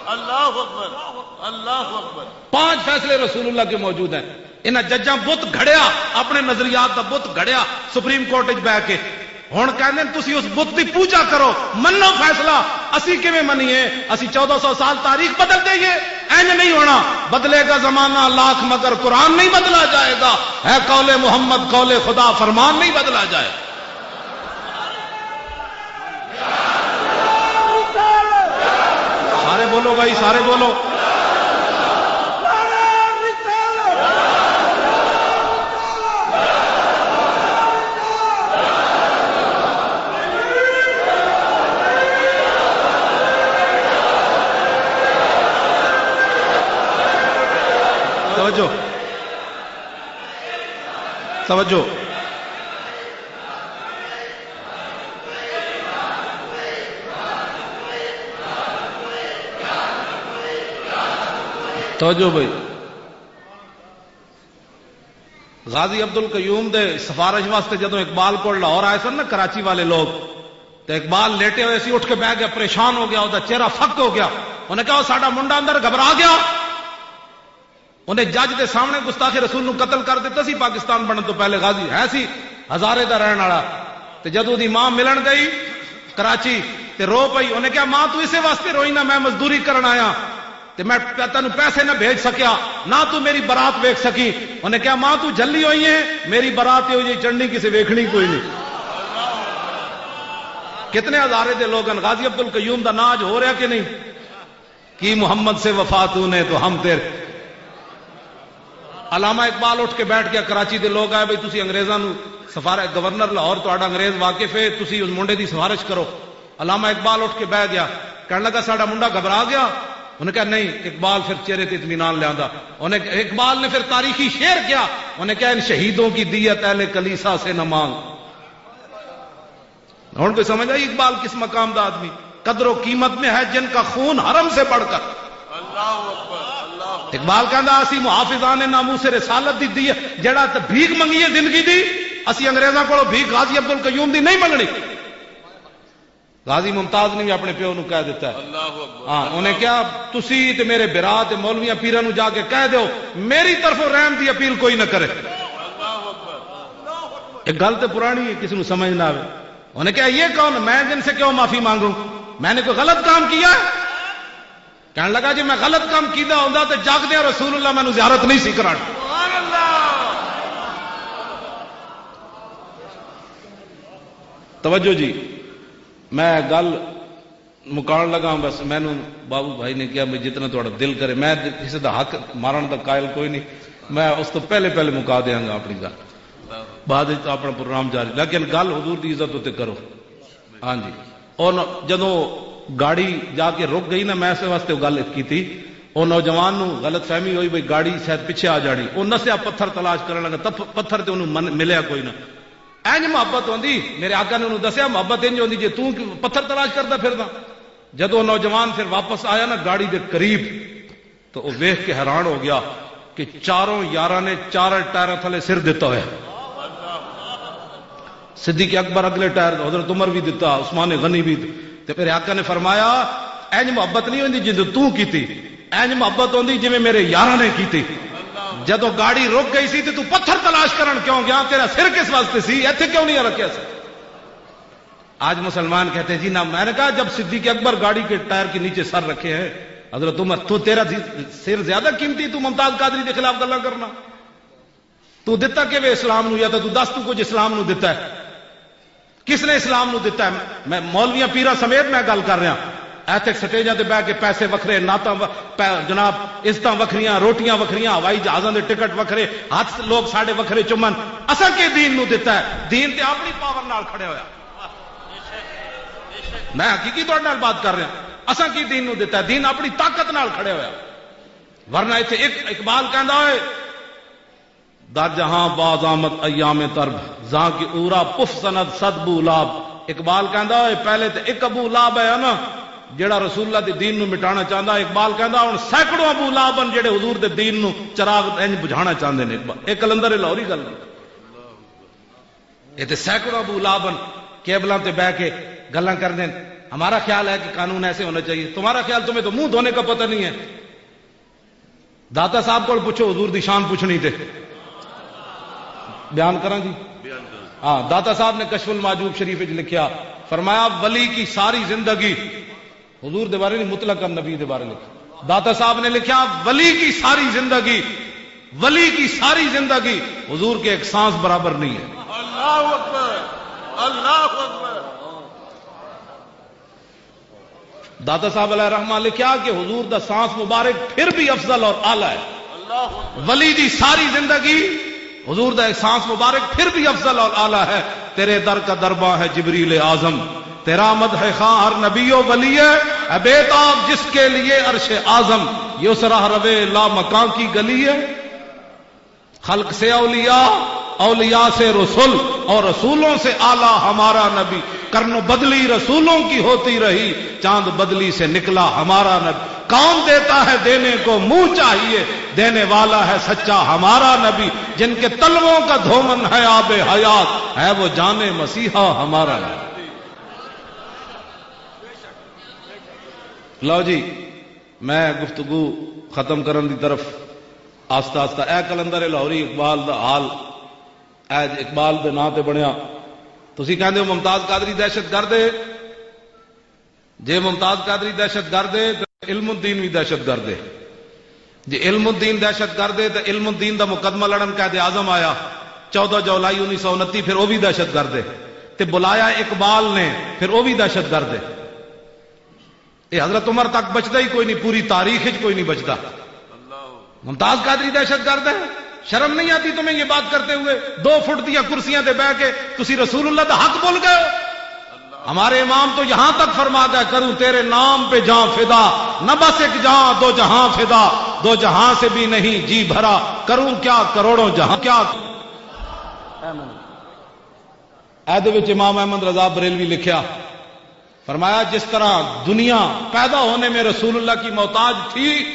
اللہ اکبر، اللہ اکبر۔ پانچ فیصلے رسول اللہ کے موجود ہیں۔ انہاں ججاں بت گھڑیا، اپنے نظریات دا بت گھڑیا سپریم کورٹ وچ بہ کے۔ ہن کہندے نے، "تسی اس بت دی پوجا کرو، منو فیصلہ۔" اسی کیویں منیے؟ اسی چودہ سو سال تاریخ بدل دئیے؟ اینج نہیں ہونا۔ بدلے گا زمانہ لاکھ مگر قرآن نہیں بدلا جائے گا۔ ہے قول محمد، قول خدا، فرمان نہیں بدلا جائے۔ سارے بولو بھائی، سارے بولو۔ توجہ، توجہ۔ توجہ بھائی۔ غازی عبد القیوم دے سفارش واسطے جدوں اقبال کول لاہور آئے سن نا کراچی والے لوگ، تے اقبال لیٹے ہوئے سی، اٹھ کے بہ گیا، پریشان ہو گیا، اُس دا چہرہ فک ہو گیا۔ انہیں کہا، "او ساڈا منڈا اندر گھبرا گیا۔" انہیں جج دے سامنے گستاخ رسول نو قتل کر دتا سی پاکستان بنن تو پہلے۔ غازی ہے سی ہزارے دا رہن والا، تے جدوں دی ماں ملن گئی کراچی تے رو پئی، انہیں کہا، "ماں، تو اسے واسطے روئی نہ، میں مزدوری کرن آیا تے میں پ-، تینوں پیسے نہ بھیج سکیا، نہ تو میری برات ویکھ سکی۔" انہیں کہا، "ماں، تو جھلی ہوئی ہے، میری برات یہ ہوئی چڑھنی کسے ویکھنی کوئی نہیں۔" کتنے ہزارے دے لوگ ہیں۔ غازی عبد القیوم دا ناج ہو رہا کہ نہیں؟ کی محمد سے وفا تو نے تو ہم تیرے۔ علامہ اقبال اٹھ کے بیٹھ گیا، کراچی دے لوگ آئے، "بھئی، تسی انگریزاں نو سفارت، گورنر لاہور تہاڈا انگریز واقف ہے، تسی اس منڈے دی سفارش کرو۔" علامہ اقبال اٹھ کے بہ گیا، کہنے لگا، "ساڈا منڈا گھبرا گیا؟" انہیں کہا، "نہیں۔" اقبال پھر چہرے تے اطمینان لے آندا۔ انہیں، اقبال نے پھر تاریخی شعر کیا، انہیں کہا، "ان شہیدوں کی دیت اہل کلیسا سے نہ مانگ۔" ہن کوئی سمجھ آئی اقبال کس مقام دا آدمی؟ قدر و قیمت میں ہے جن کا خون حرم سے بڑھ کر۔ اللہ اکبر، اللہ اکبر۔ اقبال کہندا، "اسی محافظان ناموس رسالت دی، دی جڑا تے بھیک منگی ہے زندگی دی، اسی انگریزاں کولوں بھیک غازی عبد القیوم دی نہیں منگنی۔" غازی ممتاز نے بھی اپنے پیو نو کہہ دیتا ہے۔ اللہ اکبر۔ ہاں، انہیں کہا، "تسی تے میرے برا تے مولویاں پیراں نو جا کے کہہ دیو، میری طرفوں رحم دی اپیل کوئی نہ کرے۔" اللہ اکبر۔ ایک گل تے پرانی ہے، کسی نو سمجھ نہ آوے۔ انہیں کہا، "یہ کون؟ میں جن سے کیوں معافی مانگوں؟ میں نے کوئی غلط کام کیا ہے؟" کہن لگا، "جی میں غلط کام کیتا ہوندا تے جاگدے رسول اللہ مینوں زیارت نہیں سی کرانا۔" توجہ جی، میں گل مکان لگا، بس مینوں بابو بھائی نے کہا، "میں جتنا تہاڈا دل کرے۔" میں کسی دا حق مارن دا قائل کوئی نہیں، میں اس تو پہلے پہلے مکا دیاں گا اپنی گل، بعد وچ اپنا پروگرام جاری، لیکن گل حضور دی عزت اتے کرو۔ ہاں جی۔ اور نو-، جدوں گاڑی جا کے رک گئی نا، میں اس واسطے وہ گل کیتی، وہ نوجوان نو غلط فہمی ہوئی بھئی گاڑی شاید پیچھے آ جانی، وہ نسیا پتھر تلاش کرن لگا، تپ-، پتھر تے انہوں من-، ملیا کوئی نہ۔ اینج محبت ہوندی، میرے آقا نے انہوں دسیا محبت انج ہوندی، جے توں کی پتھر تلاش کردا پھردا۔ جدوں نوجوان پھر واپس آیا نا گاڑی دے قریب، تو وہ ویکھ کے حیران ہو گیا کہ چاروں یاراں نے چاروں ٹائراں تھلے سر دتا ہویا۔ صدیق اکبر اگلے ٹائر، حضرت عمر بھی دتا، عثمان غنی بھی۔ تے میرے آقا نے فرمایا، "اینج محبت نہیں ہوندی جدوں توں کیتی، اینج محبت ہوندی جویں میرے یاراں نے کیتی۔" جدوں گاڑی رک گئی سی تے تو پتھر تلاش کرن کیوں گیا؟ تیرا سر کس واسطے سی؟ ایتھے کیوں نہیں رکھیا سی؟ آج مسلمان کہتے ہیں، "جی نہ۔" میں نے کہا، "جب صدیق اکبر گاڑی کے ٹائر کے نیچے سر رکھے ہیں، حضرت عمر، تو تیرا سر زیادہ قیمتی، تو ممتاز قادری کے خلاف گلا کرنا؟ تو دتا کہ وہ اسلام نو، یا تو تو دس تو کچھ اسلام نو دتا ہے؟ کس نے اسلام نو دتا ہے؟" میں مولویاں پیرا سمیت میں گل کر رہا۔ ایتھے سٹیجاں تے بہ کے پیسے وکھرے، نعتاں و-، پے-، جناب، عزتاں وکھریاں، روٹیاں وکھریاں، ہوائی جہازاں دے ٹکٹ وکھرے، ہاتھ لوگ ساڈے وکھرے چمن۔ اساں کی دین نو دتا ہے؟ دین تے اپنی پاور نال کھڑے ہویا۔ میں حقیقی طور نال بات کر رہا۔ اساں کی دین نو دتا ہے؟ دین اپنی طاقت نال کھڑے ہویا۔ ورنہ ایتھے ایک اقبال کہندا ہوئے، "در جہاں باز آمد ایام ترب، زاں کی اورا پف زند صد بولاب۔" اقبال کہندا ہوئے، پہلے تے ایک ابو لاب ہے نا، جڑا رسول اللہ دے دین نو مٹانا چاہندا۔ اقبال کہندا، "ہن سینکڑوں ابو لاب ہن جڑے حضور دے دین نو چراغ انج بجھانا چاہندے نے۔" اقبال، ایک قلندر لاہوری گل۔ یہ تے سینکڑوں ابو لاب ہن، کیبلاں تے بہ کے گلاں کردے نے۔ ہمارا خیال ہے کہ قانون ایسے ہونا چاہیے۔ تمہارا خیال، تمہیں تو منہ دھونے کا پتہ نہیں ہے۔ داتا صاحب کول پوچھو، حضور دی شان پوچھنی تے۔ بیان کراں جی؟ ہاں، داتا صاحب نے کشف المعجوب شریف وچ لکھیا، فرمایا، ولی کی ساری زندگی، حضور دے بارے نہیں، مطلق نبی دے بارے لکھیا۔ داتا صاحب نے لکھیا، ولی کی ساری زندگی، ولی کی ساری زندگی حضور کے ایک سانس برابر نہیں ہے۔ اللہ اکبر، اللہ اکبر۔ داتا صاحب علیہ الرحمہ لکھیا کہ حضور دا سانس مبارک پھر بھی افضل اور اعلیٰ ہے۔ ولی دی ساری زندگی، حضور دا ایک سانس مبارک پھر بھی افضل اور اعلیٰ ہے۔ تیرے در کا درباں ہے جبریل اعظم، تیرا مدح خواں ہر نبی و ولی ہے۔ اے بے تاب جس کے لیے عرش اعظم، یہ اس راہ روے لا مکان کی گلی ہے۔ خلق سے اولیاء، اولیاء سے رسول، اور رسولوں سے اعلیٰ ہمارا نبی۔ کرن و بدلی رسولوں کی ہوتی رہی، چاند بدلی سے نکلا ہمارا نبی۔ کون دیتا ہے دینے کو منہ چاہیے، دینے والا ہے سچا ہمارا نبی۔ جن کے تلووں کا دھومن ہے آب حیات، ہے وہ جان مسیحا ہمارا نبی۔ لو جی، میں گفتگو ختم کرن دی طرف آستہ آستہ۔ اے قلندر لاہوری اقبال دا حال، اے اقبال دے ناں تے بنیا۔ تسی کہندے ہو ممتاز قادری دہشت گرد ہے۔ جے ممتاز قادری دہشت گرد ہے تے علم الدین بھی دہشت گرد ہے۔ جے علم الدین دہشت گرد ہے تے علم الدین دا مقدمہ لڑن قائد اعظم آیا چودہ جولائی انیس سو انتی، پھر وہ بھی دہشت گرد ہے۔ تے بلایا اقبال نے، پھر وہ بھی دہشت گرد ہے۔ یہ حضرت عمر تک بچتا ہی کوئی نہیں، پوری تاریخ وچ کوئی نہیں بچتا۔ ممتاز قادری دہشت گرد ہے؟ شرم نہیں آتی تمہیں یہ بات کرتے ہوئے؟ دو فٹ دیا کرسیاں تے بہ کے تسی رسول اللہ دا حق بھول گئے ہو؟ ہمارے امام تو یہاں تک فرما گئے، "کروں تیرے نام پہ جاں فدا، نہ بس ایک جاں دو جہاں فدا، دو جہاں سے بھی نہیں جی بھرا، کروں کیا کروڑوں جہاں کیا۔" اے دے وچ امام احمد رضا بریلوی لکھیا، فرمایا، جس طرح دنیا پیدا ہونے میں رسول اللہ کی محتاج تھی،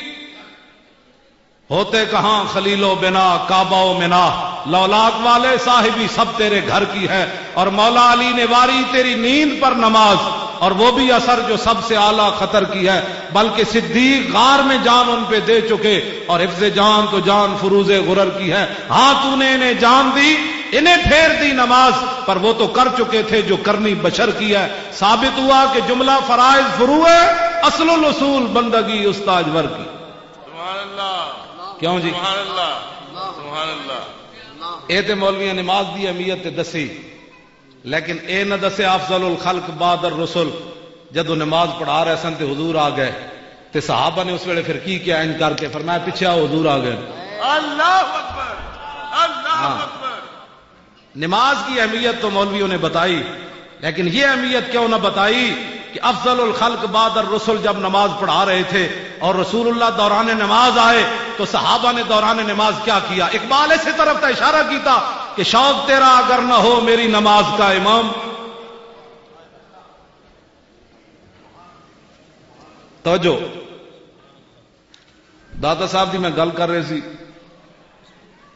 ہوتے کہاں خلیل و بنا، کعبہ و منا، لولاک والے صاحبی سب تیرے گھر کی ہے۔ اور مولا علی نے واری تیری نیند پر نماز، اور وہ بھی اثر جو سب سے اعلیٰ خطر کی ہے، بلکہ صدیق غار میں جان ان پہ دے چکے، اور حفظ جان تو جان فروز غرر کی ہے۔ ہاں، تو نے انہیں جان دی، انہیں پھیر دی نماز، پر وہ تو کر چکے تھے جو کرنی بشر کی ہے۔ ثابت ہوا کہ جملہ فرائض فروع ہے۔ اصل الاصول بندگی استاد ور کی۔ سبحان اللہ۔ کیوں جی؟ سبحان اللہ۔ سبحان اللہ۔ اے تے مولویاں نماز دی اہمیت تے دسی، لیکن اے نہ دسیا افضل الخلق بعد الرسل۔ جدوں نماز پڑھا رہے سن تے حضور آ گئے، تے صحابہ نے اس ویلے پھر کی کیا؟ انج کر کے فرمایا، "پچھے آؤ، حضور آ گئے۔" اللہ اکبر، اللہ ہاں۔ اکبر۔ نماز کی اہمیت تو مولویوں نے بتائی، لیکن یہ اہمیت کیوں نہ بتائی کہ افضل الخلق بعد الرسل جب نماز پڑھا رہے تھے اور رسول اللہ دوران نماز آئے تو صحابہ نے دوران نماز کیا کیا؟ اقبال اسی طرف کا اشارہ کیتا کہ "شوق تیرا اگر نہ ہو، میری نماز کا امام۔" توجہ۔ داتا صاحب دی میں گل کر رہے سی،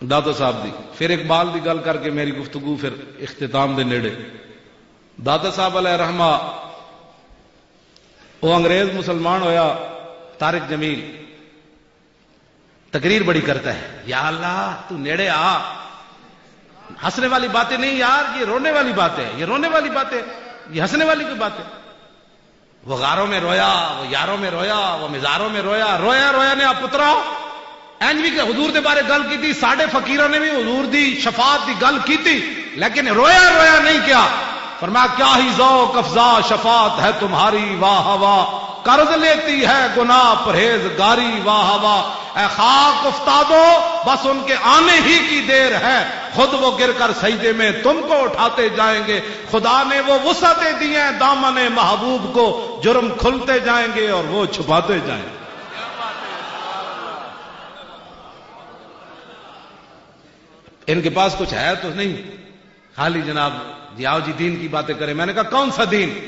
داتا صاحب دی، پھر اقبال دی گل کر کے میری گفتگو پھر اختتام دے نیڑے۔ داتا صاحب علیہ رحمہ، وہ انگریز مسلمان ہویا، طارق جمیل تقریر بڑی کرتا ہے، "یا اللہ، تو نیڑے آ، ہنسنے والی باتیں نہیں یار، یہ رونے والی باتیں، یہ رونے والی باتیں، یہ ہنسنے والی کوئی باتیں۔" وہ غاروں میں رویا، وہ یاروں میں رویا، وہ مزاروں میں رویا، رویا رویا نے آپ پترا۔ اینج بھی کہ حضور دے بارے گل کیتی، ساڈے فقیراں نے بھی حضور دی شفاعت دی گل کیتی، لیکن رویا رویا نہیں کیا۔ فرمایا، "کیا ہی ذوق افزا شفاعت ہے تمہاری، واہ واہ، قرض لیتی ہے گناہ پرہیزگاری، واہ واہ۔" اے خاک افتادو، بس ان کے آنے ہی کی دیر ہے، خود وہ گر کر سجدے میں تم کو اٹھاتے جائیں گے۔ خدا نے وہ وسعتیں دی ہیں دامن محبوب کو، جرم کھلتے جائیں گے اور وہ چھپاتے جائیں گے۔ ان کے پاس کچھ ہے تو نہیں، خالی جناب جی، آؤ جی دین کی باتیں کریں۔ میں نے کہا، "کون سا دین؟"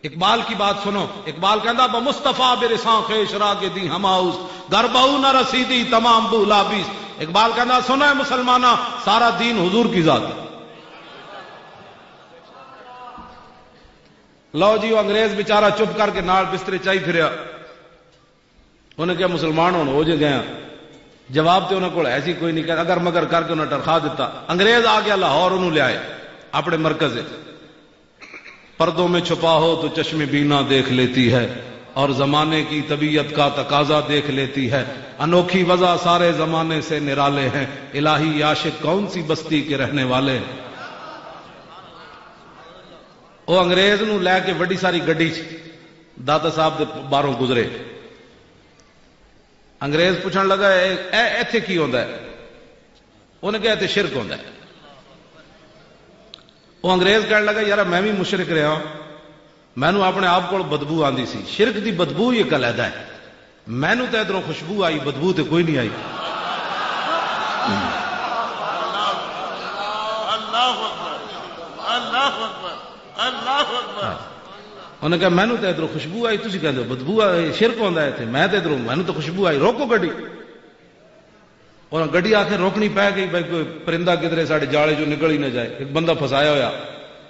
اقبال کی بات سنو۔ اقبال کہندا، "بمصطفیٰ برساں خیش را کے دی ہماؤس، گر بہو نہ رسیدی تمام بولا بیس۔" اقبال کہندا، "سنو اے مسلماناں، سارا دین حضور کی ذات ہے۔" لو جی، وہ انگریز بیچارہ چپ کر کے نال بسترے چائی پھریا۔ انہیں کہا، "مسلمان ہن ہو جے گئے ہاں۔" جواب تے انہاں کول ہے سی کوئی نہیں، کہ اگر مگر کر کے انہاں ٹرخا دتا۔ انگریز آ گیا لاہور، انہوں لے آئے اپنے مرکز وچ۔ پردوں میں چھپا ہو تو چشم بینا دیکھ لیتی ہے، اور زمانے کی طبیعت کا تقاضا دیکھ لیتی ہے۔ انوکھی وضع سارے زمانے سے نرالے ہیں، الہی عاشق کون سی بستی کے رہنے والے ہیں۔ وہ انگریز نو لے کے وڈی ساری گڈی چ داتا صاحب دے باہروں گزرے۔ انگریز پوچھن لگا، "اے، اے، ایتھے کی ہوندا ہے؟" انہیں کہا، "ایتھے شرک ہوندا ہے۔" وہ انگریز کہن لگا، "یار، میں بھی مشرک رہا، مینوں اپنے آپ کول بدبو آندی سی، شرک دی بدبو ہی ایک علیحدہ ہے، مینوں تے ادھروں خوشبو آئی، بدبو تے کوئی نہیں آئی۔" اللہ اکبر، اللہ اکبر، اللہ اکبر۔ انہیں کہا، "مینوں تے ادھروں خوشبو آئی، تسی کہندے ہو بدبو آئی، شرک ہوندا ہے ایتھے، میں تے ادھروں، مینوں تے خوشبو آئی، روکو گڈی۔" اور گڈی آخر روکنی پے گئی، بھائی کوئی پرندہ کدھرے ساڈے جالے چوں نکل ہی نہ جائے، ایک بندہ پھسایا ہویا۔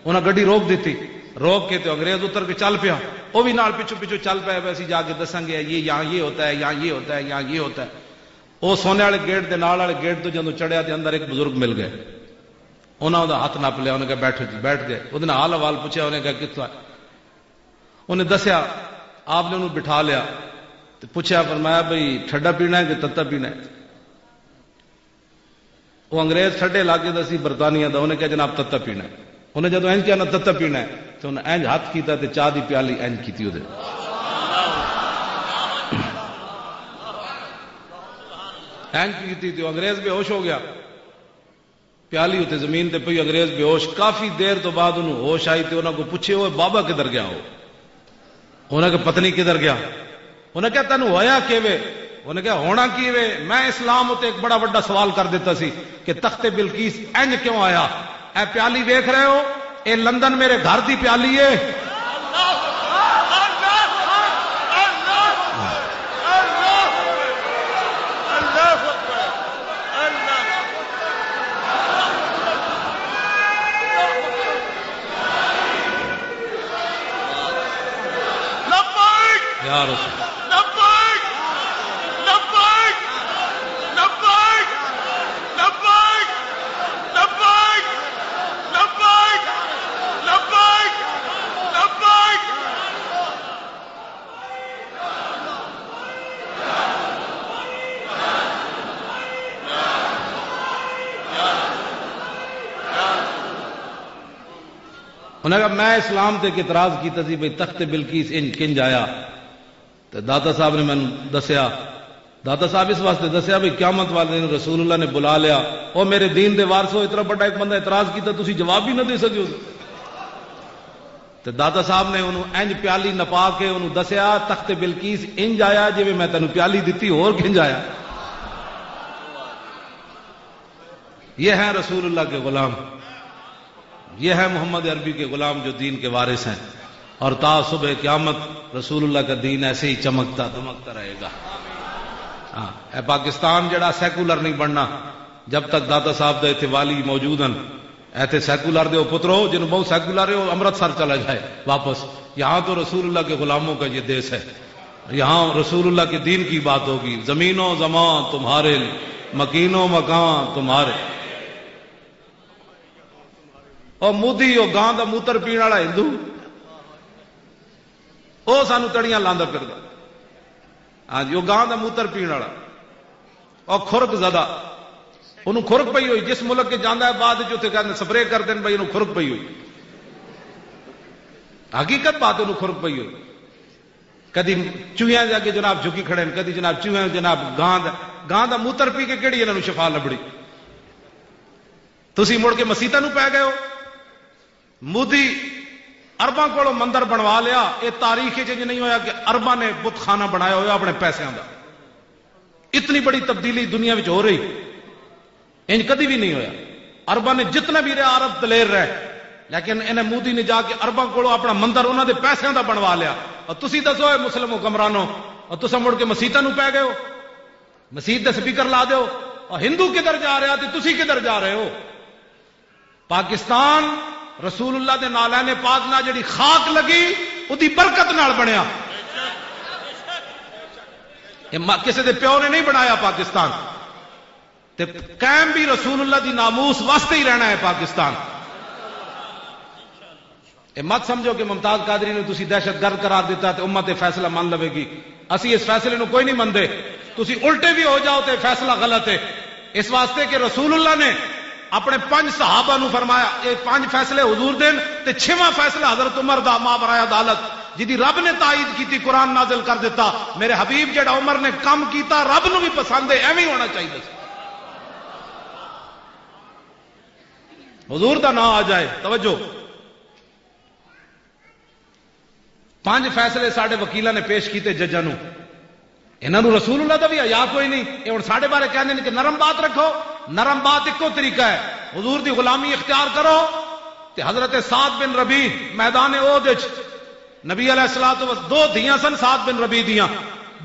انہاں گڈی روک دتی، روک کے تے انگریز اتر کے چل پیا، وہ بھی نال پچھو پچھو چل پیا، ویسے جا کے دساں گے، یہ یہاں یہ ہوتا ہے، یہاں یہ ہوتا ہے، یہاں یہ ہوتا ہے۔ وہ سونے والے گیٹ دے نال والے گیٹ تو جدوں چڑھیا تے اندر ایک بزرگ مل گئے، انہاں دا ہاتھ نپ لیا، انہاں کہا، "بیٹھو جی۔" بیٹھ گئے، وہ حال احوال پوچھا، انہیں کہا، "کتھوں آئے؟" انہیں دسیا، آپ نے انہوں بٹھا لیا تے پوچھا، فرمایا، "بھئی، ٹھڈا پینا ہے کہ تتا پینا ہے؟" وہ انگریز ٹھڈے علاقے دا سی، برطانیہ دا، انہیں کہا، "جناب، تتا پینا ہے۔" انہیں جدوں اینج کہا نا، "تتا پینا ہے"، تو انہیں اینج ہاتھ کیتا تے چاہ دی پیالی اینج کیتی اودے۔ اینج کیتی تے وہ انگریز بے ہوش ہو گیا۔ پیالی اتے زمین تے پئی، انگریز بے ہوش۔ کافی دیر تو بعد انہوں ہوش آئی تے انہاں کو پوچھے، "اوئے بابا کدھر گیا ہو؟" انہاں کہ، "پتہ نہیں کدھر گیا۔" انہاں کہا، "تینوں ہویا کیویں؟" انہاں کہا، "ہونا کیویں؟ میں اسلام اتے ایک بڑا وڈا سوال کر دیتا سی کہ تخت بلقیس انج کیوں آیا؟ اے پیالی ویکھ رہے ہو؟ اے لندن میرے گھر دی پیالی ہے۔" لبیک! یا رسول۔ لبیک! لبیک! لبیک! انہاں کہا، "میں اسلام تے ایک اعتراض کیتا سی بھئی تخت بلقیس انج کنج آیا۔" تے داتا صاحب نے مینوں دسیا، داتا صاحب اس واسطے دسیا بھئی قیامت والے دن رسول اللہ نے بلا لیا، "او میرے دین دے وارثو، اتنا بڑا ایک بندہ اعتراض کیتا، تسی جواب بھی نہ دے سکے ہو۔" تے داتا صاحب نے انہوں انج پیالی نپا کے انہوں دسیا، "تخت بلقیس انج آیا جویں میں تینوں پیالی دتی، ہور کنج آیا؟" یہ ہیں رسول اللہ کے غلام، یہ ہیں محمد عربی کے غلام جو دین کے وارث ہیں، اور تا صبح قیامت رسول اللہ کا دین ایسے ہی چمکتا دمکتا رہے گا۔ ہاں، اے پاکستان جڑا سیکولر نہیں بننا، جب تک داتا صاحب دے ایتھے والی موجود ہیں۔ ایتھے سیکولر دے او پترو، جنوں بہت سیکولر ہے، او امرتسر چلا جائے واپس۔ یہاں تو رسول اللہ کے غلاموں کا یہ دیش ہے، یہاں رسول اللہ کے دین کی بات ہوگی۔ زمین و زمان تمہارے، مکین و مکان تمہارے۔ او مودی، او گاں دا موتر پین والا ہندو، او سانو تڑیاں لاندا پھردا۔ ہاں جی، او گاں دا موتر پین والا، او خرک زدہ، انہوں خرک پئی ہوئی۔ جس ملک کے جاندا ہے، بعد وچ اتھے کہندے، سپرے کر دین بھائی، انہوں خرک پئی ہوئی۔ حقیقت بات، انہوں خرک پئی ہوئی۔ کدی چوہیاں دے اگے جناب جھکی کھڑے نے، کدی جناب چوہیاں، جناب گاں دا، گاں دا موتر پی کے کیڑی انہاں نوں شفا لبڑی؟ تسی مڑ کے مسیتاں نوں پے گئے ہو۔ مودی عرباں کولوں مندر بنوا لیا۔ یہ تاریخ وچ انج نہیں ہویا کہ عرباں نے بت خانہ بنایا ہویا اپنے پیسیاں دا۔ اتنی بڑی تبدیلی دنیا وچ ہو رہی، انج کدی بھی نہیں ہویا۔ عرباں نے جتنا بھی رہا، عرب دلیر رہے، لیکن انہیں مودی نے جا کے عرباں کولوں اپنا مندر انہاں دے پیسیاں دا بنوا لیا۔ اور تسی دسو، اے مسلم حکمرانو، اور تساں مڑ کے مسیتاں نوں پے گئے ہو، مسیت دے سپیکر لا دیو، اور ہندو کدھر جا رہا تے تسی کدھر جا رہے ہو؟ پاکستان رسول اللہ دے نالین پاک نال جڑی خاک لگی، اودی برکت نال بنیا۔ یہ م-، کسے دے پیو نے نہیں بنایا پاکستان۔ تے قائم بھی رسول اللہ دی ناموس واسطے ہی رہنا ہے پاکستان۔ یہ مت سمجھو کہ ممتاز قادری نے تسی دہشت گرد قرار دیتا تے امت یہ فیصلہ من لوے گی۔ اسی اس فیصلے نو کوئی نہیں مندے۔ تسی الٹے بھی ہو جاؤ تے فیصلہ غلط ہے۔ اس واسطے کہ رسول اللہ نے اپنے پنج صحابہ نو فرمایا، یہ پنج فیصلے حضور دین، تے چھواں فیصلہ حضرت عمر دا، ما برائے عدالت، جدی رب نے تائید کیتی، قرآن نازل کر دیتا۔ میرے حبیب جڑا عمر نے کم کیتا، رب نو بھی پسند ہے، ایویں ہونا چاہیے۔ حضور دا نام آ جائے، توجہ۔ پنج فیصلے ساڈے وکیلاں نے پیش کیتے ججاں نوں۔ انہاں نوں رسول اللہ دا بھی حیا کوئی نہیں۔ یہ ہن ساڈے بارے کہندے نے کہ نرم بات رکھو۔ نرم بات اکو طریقہ ہے، حضور دی غلامی اختیار کرو۔ تے حضرت سعد بن ربیع میدان احد وچ، نبی علیہ الصلوۃ والسلام، دو دھیاں سن سعد بن ربیع دیاں۔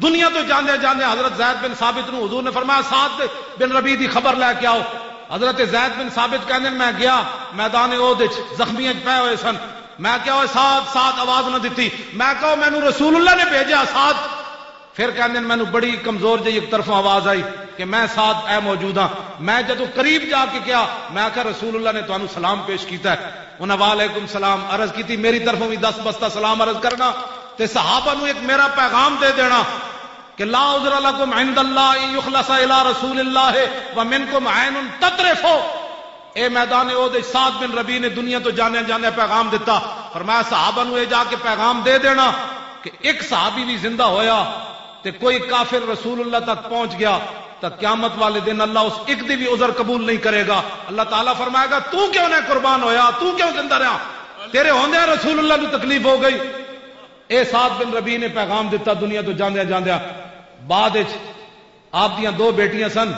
دنیا تو جاندے جاندے حضرت زید بن ثابت نوں حضور نے فرمایا، "سعد بن ربیع دی خبر لے کے آؤ۔" حضرت زید بن ثابت کہندے نے، "میں گیا میدان احد وچ، زخمیاں وچ پے ہوئے سن۔ میں کہا، 'اوئے سعد، سعد!' آواز نہ دتی۔ میں کہا، 'مینوں رسول اللہ نے بھیجا، سعد!'" پھر کہندے نے، "مینوں بڑی کمزور جہی ایک طرفوں آواز آئی کہ میں سعد اے موجود ہاں۔" میں جدوں قریب جا کے کہا، میں آکھیا، "رسول اللہ نے تانوں سلام پیش کیتا ہے۔" انہاں "وعلیکم سلام" عرض کیتی، "میری طرفوں بھی دس بستہ سلام عرض کرنا تے صحابہ نوں ایک میرا پیغام دے دینا کہ لا عذر لکم عند اللہ ان یخلص الی رسول اللہ ومنکم عین تطرف۔" اے میدان احد وچ سعد بن ربیع نے دنیا تو جانے جانے پیغام دتا۔ فرمایا، صحابہ نوں اے جا کے پیغام دے دینا کہ ایک صحابی بھی زندہ ہویا تے کوئی کافر رسول اللہ تک پہنچ گیا، تاں قیامت والے دن اللہ اس ایک دی بھی عذر قبول نہیں کرے گا۔ اللہ تعالیٰ فرمائے گا، "تو کیوں نہ قربان ہویا؟ تو کیوں زندہ رہا؟ تیرے ہوندیاں رسول اللہ نوں تکلیف ہو گئی۔" اے سعد بن ربیع نے پیغام دتا دنیا تو جاندیاں جاندیاں۔ بعد وچ آپ دیاں دو بیٹیاں سن،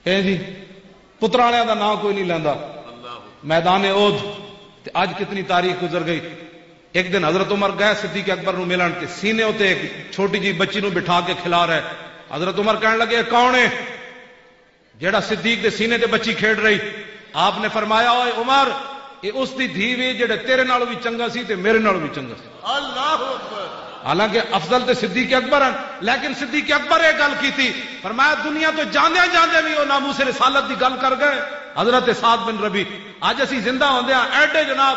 اے جی، پترالیاں دا نام کوئی نہیں لیندا۔ میدان احد تے اج کتنی تاریخ گزر گئی۔ ایک دن حضرت عمر گئے صدیق اکبر نو ملن تے سینے اتے ایک چھوٹی جی بچی نو بٹھا کے کھلا رہے۔ حضرت عمر کہن لگے، "اے کون ہے جیڑا صدیق دے سینے تے بچی کھیڈ رہی؟" آپ نے فرمایا، "اوئے عمر، اے اس دی دھی وے جیڑے تیرے نالوں بھی چنگا سی تے میرے نالوں بھی چنگا سی۔" اللہ اکبر۔ حالانکہ افضل تے صدیق اکبر ہیں، لیکن صدیق اکبر یہ گل کیتی، فرمایا، دنیا تو جاندیاں جاندیاں بھی وہ ناموس رسالت دی گل کر گئے۔ حضرت سعد بن ربی، اج اسی زندہ ہوندے ہاں، ایڈے جناب،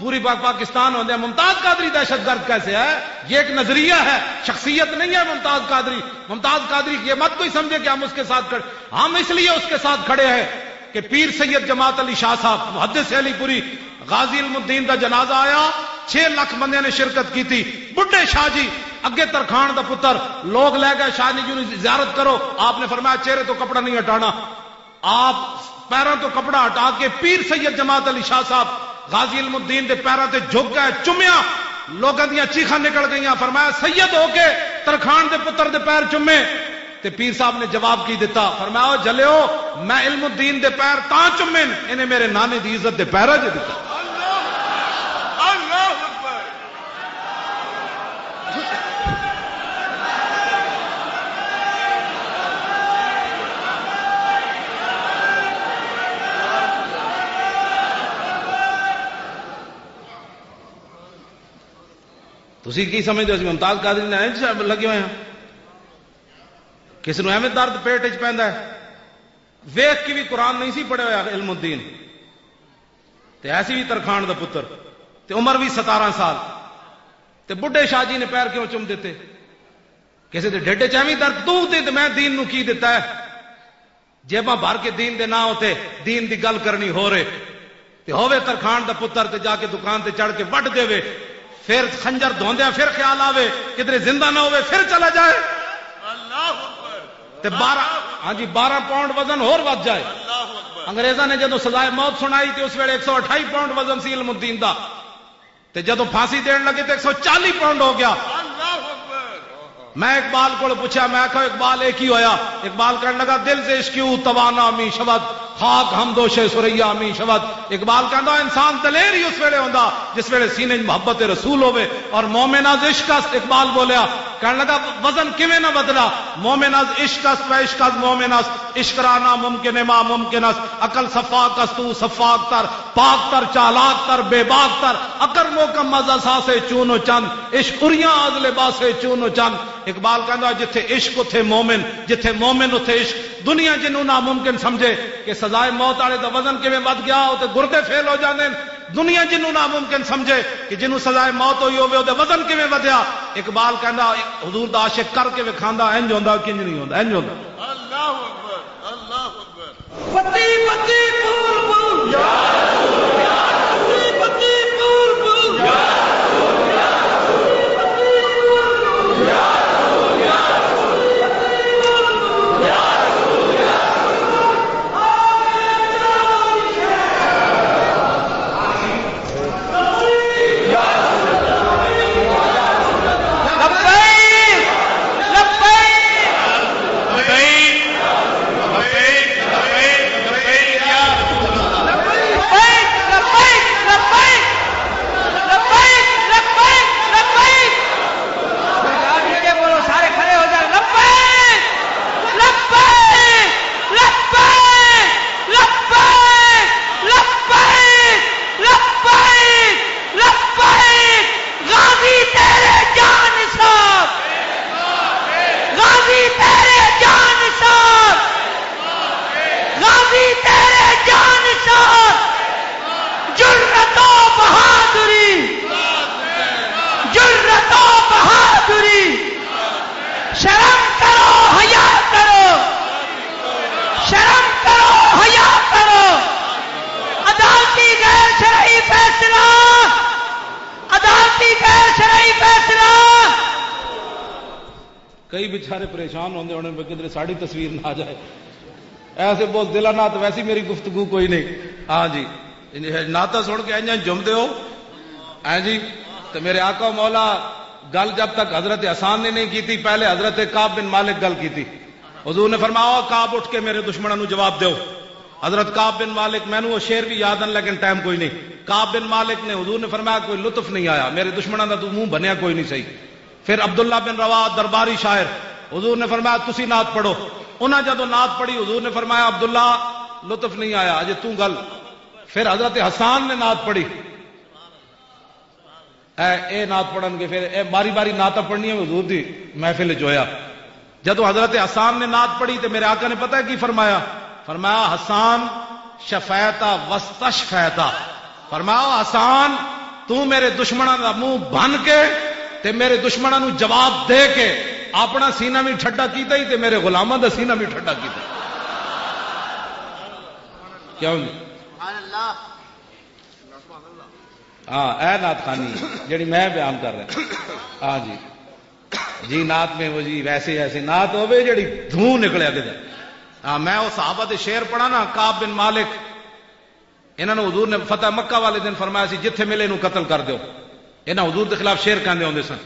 پوری پاک پاکستان ہوندے ہاں، ممتاز قادری دہشت گرد کیسے ہے؟ یہ ایک نظریہ ہے، شخصیت نہیں ہے ممتاز قادری۔ ممتاز قادری یہ مت کوئی سمجھے کہ ہم اس کے ساتھ کھڑے۔ ہم اس لیے اس کے ساتھ کھڑے ہیں کہ پیر سید جماعت علی شاہ صاحب، محدث علی پوری، غازی علم الدین دا جنازہ آیا، چھ لاکھ بندے نے شرکت کی تھی۔ بڈھے شاہ جی، اگے ترخان دا پتر، لوگ لے گئے، "شاہ جی نو زیارت کرو۔" آپ نے فرمایا، "چہرے تو کپڑا نہیں ہٹانا۔" آپ پیراں تو کپڑا ہٹا کے پیر سید جماعت علی شاہ صاحب غازی علم الدین دے پیراں تے جھک گئے، چومیا، لوگاں دیاں چیخاں نکل گئیاں۔ فرمایا، "سید ہو کے ترخان دے پتر دے پیر چومے؟" تے پیر صاحب نے جواب کی دتا؟ فرمایا، "او جلیو، میں علم الدین دے پیر تاں چومے نے، انہیں میرے نانے دی عزت دے پیراں 'چ دتا۔" اللہ اکبر۔ تسی کی سمجھدے ہو، اسی ممتاز قادری نے اینج لگے ہوئے ہیں؟ کس نوں ایویں درد پیٹ وچ پیندا ہے؟ ویکھ کے بھی قرآن نہیں سی پڑھیا ہویا علم الدین، تے ایسی بھی ترخان دا پتر، تے عمر بھی ستارہ سال، تے بڈھے شاہ جی نے پیر کیوں چم دیتے؟ کسے دے ڈھڈ وچ ایویں درد، تو تے، تے میں دین نوں کی دتا ہے؟ جیباں بھر کے دین دے ناں اتے دین دی گل کرنی ہو رہے، تے ہووے ترخان دا پتر تے جا کے دکان تے چڑھ کے وڈ دے وے، پھر خنجر دھوندیا پھر خیال آوے کدھر زندہ نہ ہووے، پھر چلا جائے۔ اللہ اکبر۔ تے بارہ، ہاں جی، بارہ پاؤنڈ وزن ہور ود جائے۔ اللہ اکبر۔ انگریزاں نے جدوں سزائے موت سنائی تے اس ویلے ایک سو اٹھائی پاؤنڈ وزن سی علم الدین دا، تے جدوں پھانسی دین لگے تے ایک سو چالی پاؤنڈ ہو گیا۔ اللہ اکبر۔ میں اقبال کو پوچھا، میں کہا، "اقبال، یہ کی ہویا؟" اقبال کہنے لگا، "دل سے عشق کیوں توانا می شود، خاک ہم دوش ثریا می شود۔" اقبال کہندا، انسان دلیر ہی اس ویلے ہوندا جس ویلے سینے 'چ محبت رسول ہوے اور مومن از عشق است۔ اقبال بولیا، کہنے لگا، وزن کیویں نہ بدلا؟ مومن از عشق است و عشق از مومن است، عشق را ناممکن ما ممکن است۔ عقل صفاک است، تو صفاک تر، پاک تر، چالاک تر، بے باک تر۔ عقل محکم از اساس چون و چند، عشق اریاں از لباس چون و چند۔ اقبال کہندا، جتھے عشق اتھے مومن، جتھے مومن اتھے عشق۔ دنیا جنوں ناممکن سمجھے کہ سزائے موت والے دا وزن کیویں ود گیا، تے گردے فیل ہو جاندے نے۔ دنیا جنوں ناممکن سمجھے کہ جنوں سزائے موت ہوئی ہوے، او دے وزن کیویں ودیا۔ اقبال کہندا، حضور دا عاشق کر کے وکھاندا، انج ہوندا، کنج نہیں ہوندا، انج ہوندا۔ اللہ اکبر، اللہ اکبر۔ پتی پتی پول پول۔ پتی پتی پول پول۔ لبیک، لبیک، لبیک، لبیک، لبیک، لبیک، یا رسول اللہ۔ لبیک، لبیک، لبیک، لبیک، لبیک، لبیک۔ ذرا نیچے بولو، سارے کھڑے ہو جائیں۔ لبیک، لبیک، لبیک، لبیک، لبیک، لبیک، لبیک۔ غازی تیرے جان نثار، غازی تیرے جان نثار، غازی تیرے جان نثار۔ جرأت و بہادری، جرأت و بہادری۔ شرم کرو، حیا کرو، شرم کرو، حیا کرو۔ عدالتی غیر شرعی فیصلہ، عدالتی غیر شرعی فیصلہ۔ کئی بیچارے پریشان ہوندے ہونے، "میں کدھر ساڈی تصویر نہ آ جائے۔" ایسے بہت دل نات، ویسی میری گفتگو کوئی نہیں۔ ہاں جی، ناتا سن کے انجن جمدے ہو، ہیں جی؟ تو میرے آقا مولا، گل جب تک حضرت حسان نے نہیں کی تھی، پہلے حضرت کعب بن مالک گل کی تھی۔ حضور نے فرمایا، "او کعب، اٹھ کے میرے دشمنوں نو جواب دیو۔" حضرت کعب بن مالک، مینوں وہ شعر بھی یاد ہیں لیکن ٹائم کوئی نہیں۔ کعب بن مالک نے، حضور نے فرمایا، "کوئی لطف نہیں آیا، میرے دشمنوں دا تو منہ بنیا کوئی نہیں صحیح۔" پھر عبداللہ بن رواحہ، درباری شاعر، حضور نے فرمایا، "تسی نعت پڑھو۔" انہاں جدوں نعت پڑھی، حضور نے فرمایا، "عبداللہ، لطف نہیں آیا، اجے تو گل۔" پھر حضرت حسان نے نعت پڑھی۔ اے، اے نعت پڑھن گے، پھر اے باری باری نعت پڑھنی ہے حضور دی محفل وچ ہویا۔ جدوں حضرت حسان نے نعت پڑھی تے میرے آقا نے پتہ ہے کی فرمایا؟ فرمایا، "حسان، شفیتا وستشفیتا۔" فرمایا، "حسان، تو میرے دشمناں دا منہ بن کے تے میرے دشمناں نو جواب دے کے اپنا سینہ بھی ٹھڈا کیتا ہی تے میرے غلاماں دا سینہ بھی ٹھڈا کیتا۔" کیوں جی؟ سبحان اللہ۔ ہاں، اے نعت خوانی جڑی میں بیان کر رہا۔ ہاں جی، جی نعت میں وہ جی ویسے ایسی نعت ہوے جڑی دھوں نکلے اگے۔ ہاں، میں وہ صحابہ دے شعر پڑھا نا، کعب بن مالک، انہاں نوں حضور نے فتح مکہ والے دن فرمایا سی، "جتھے ملے نوں قتل کر دیو۔" انہاں حضور دے خلاف شعر کہندے ہوندے سن۔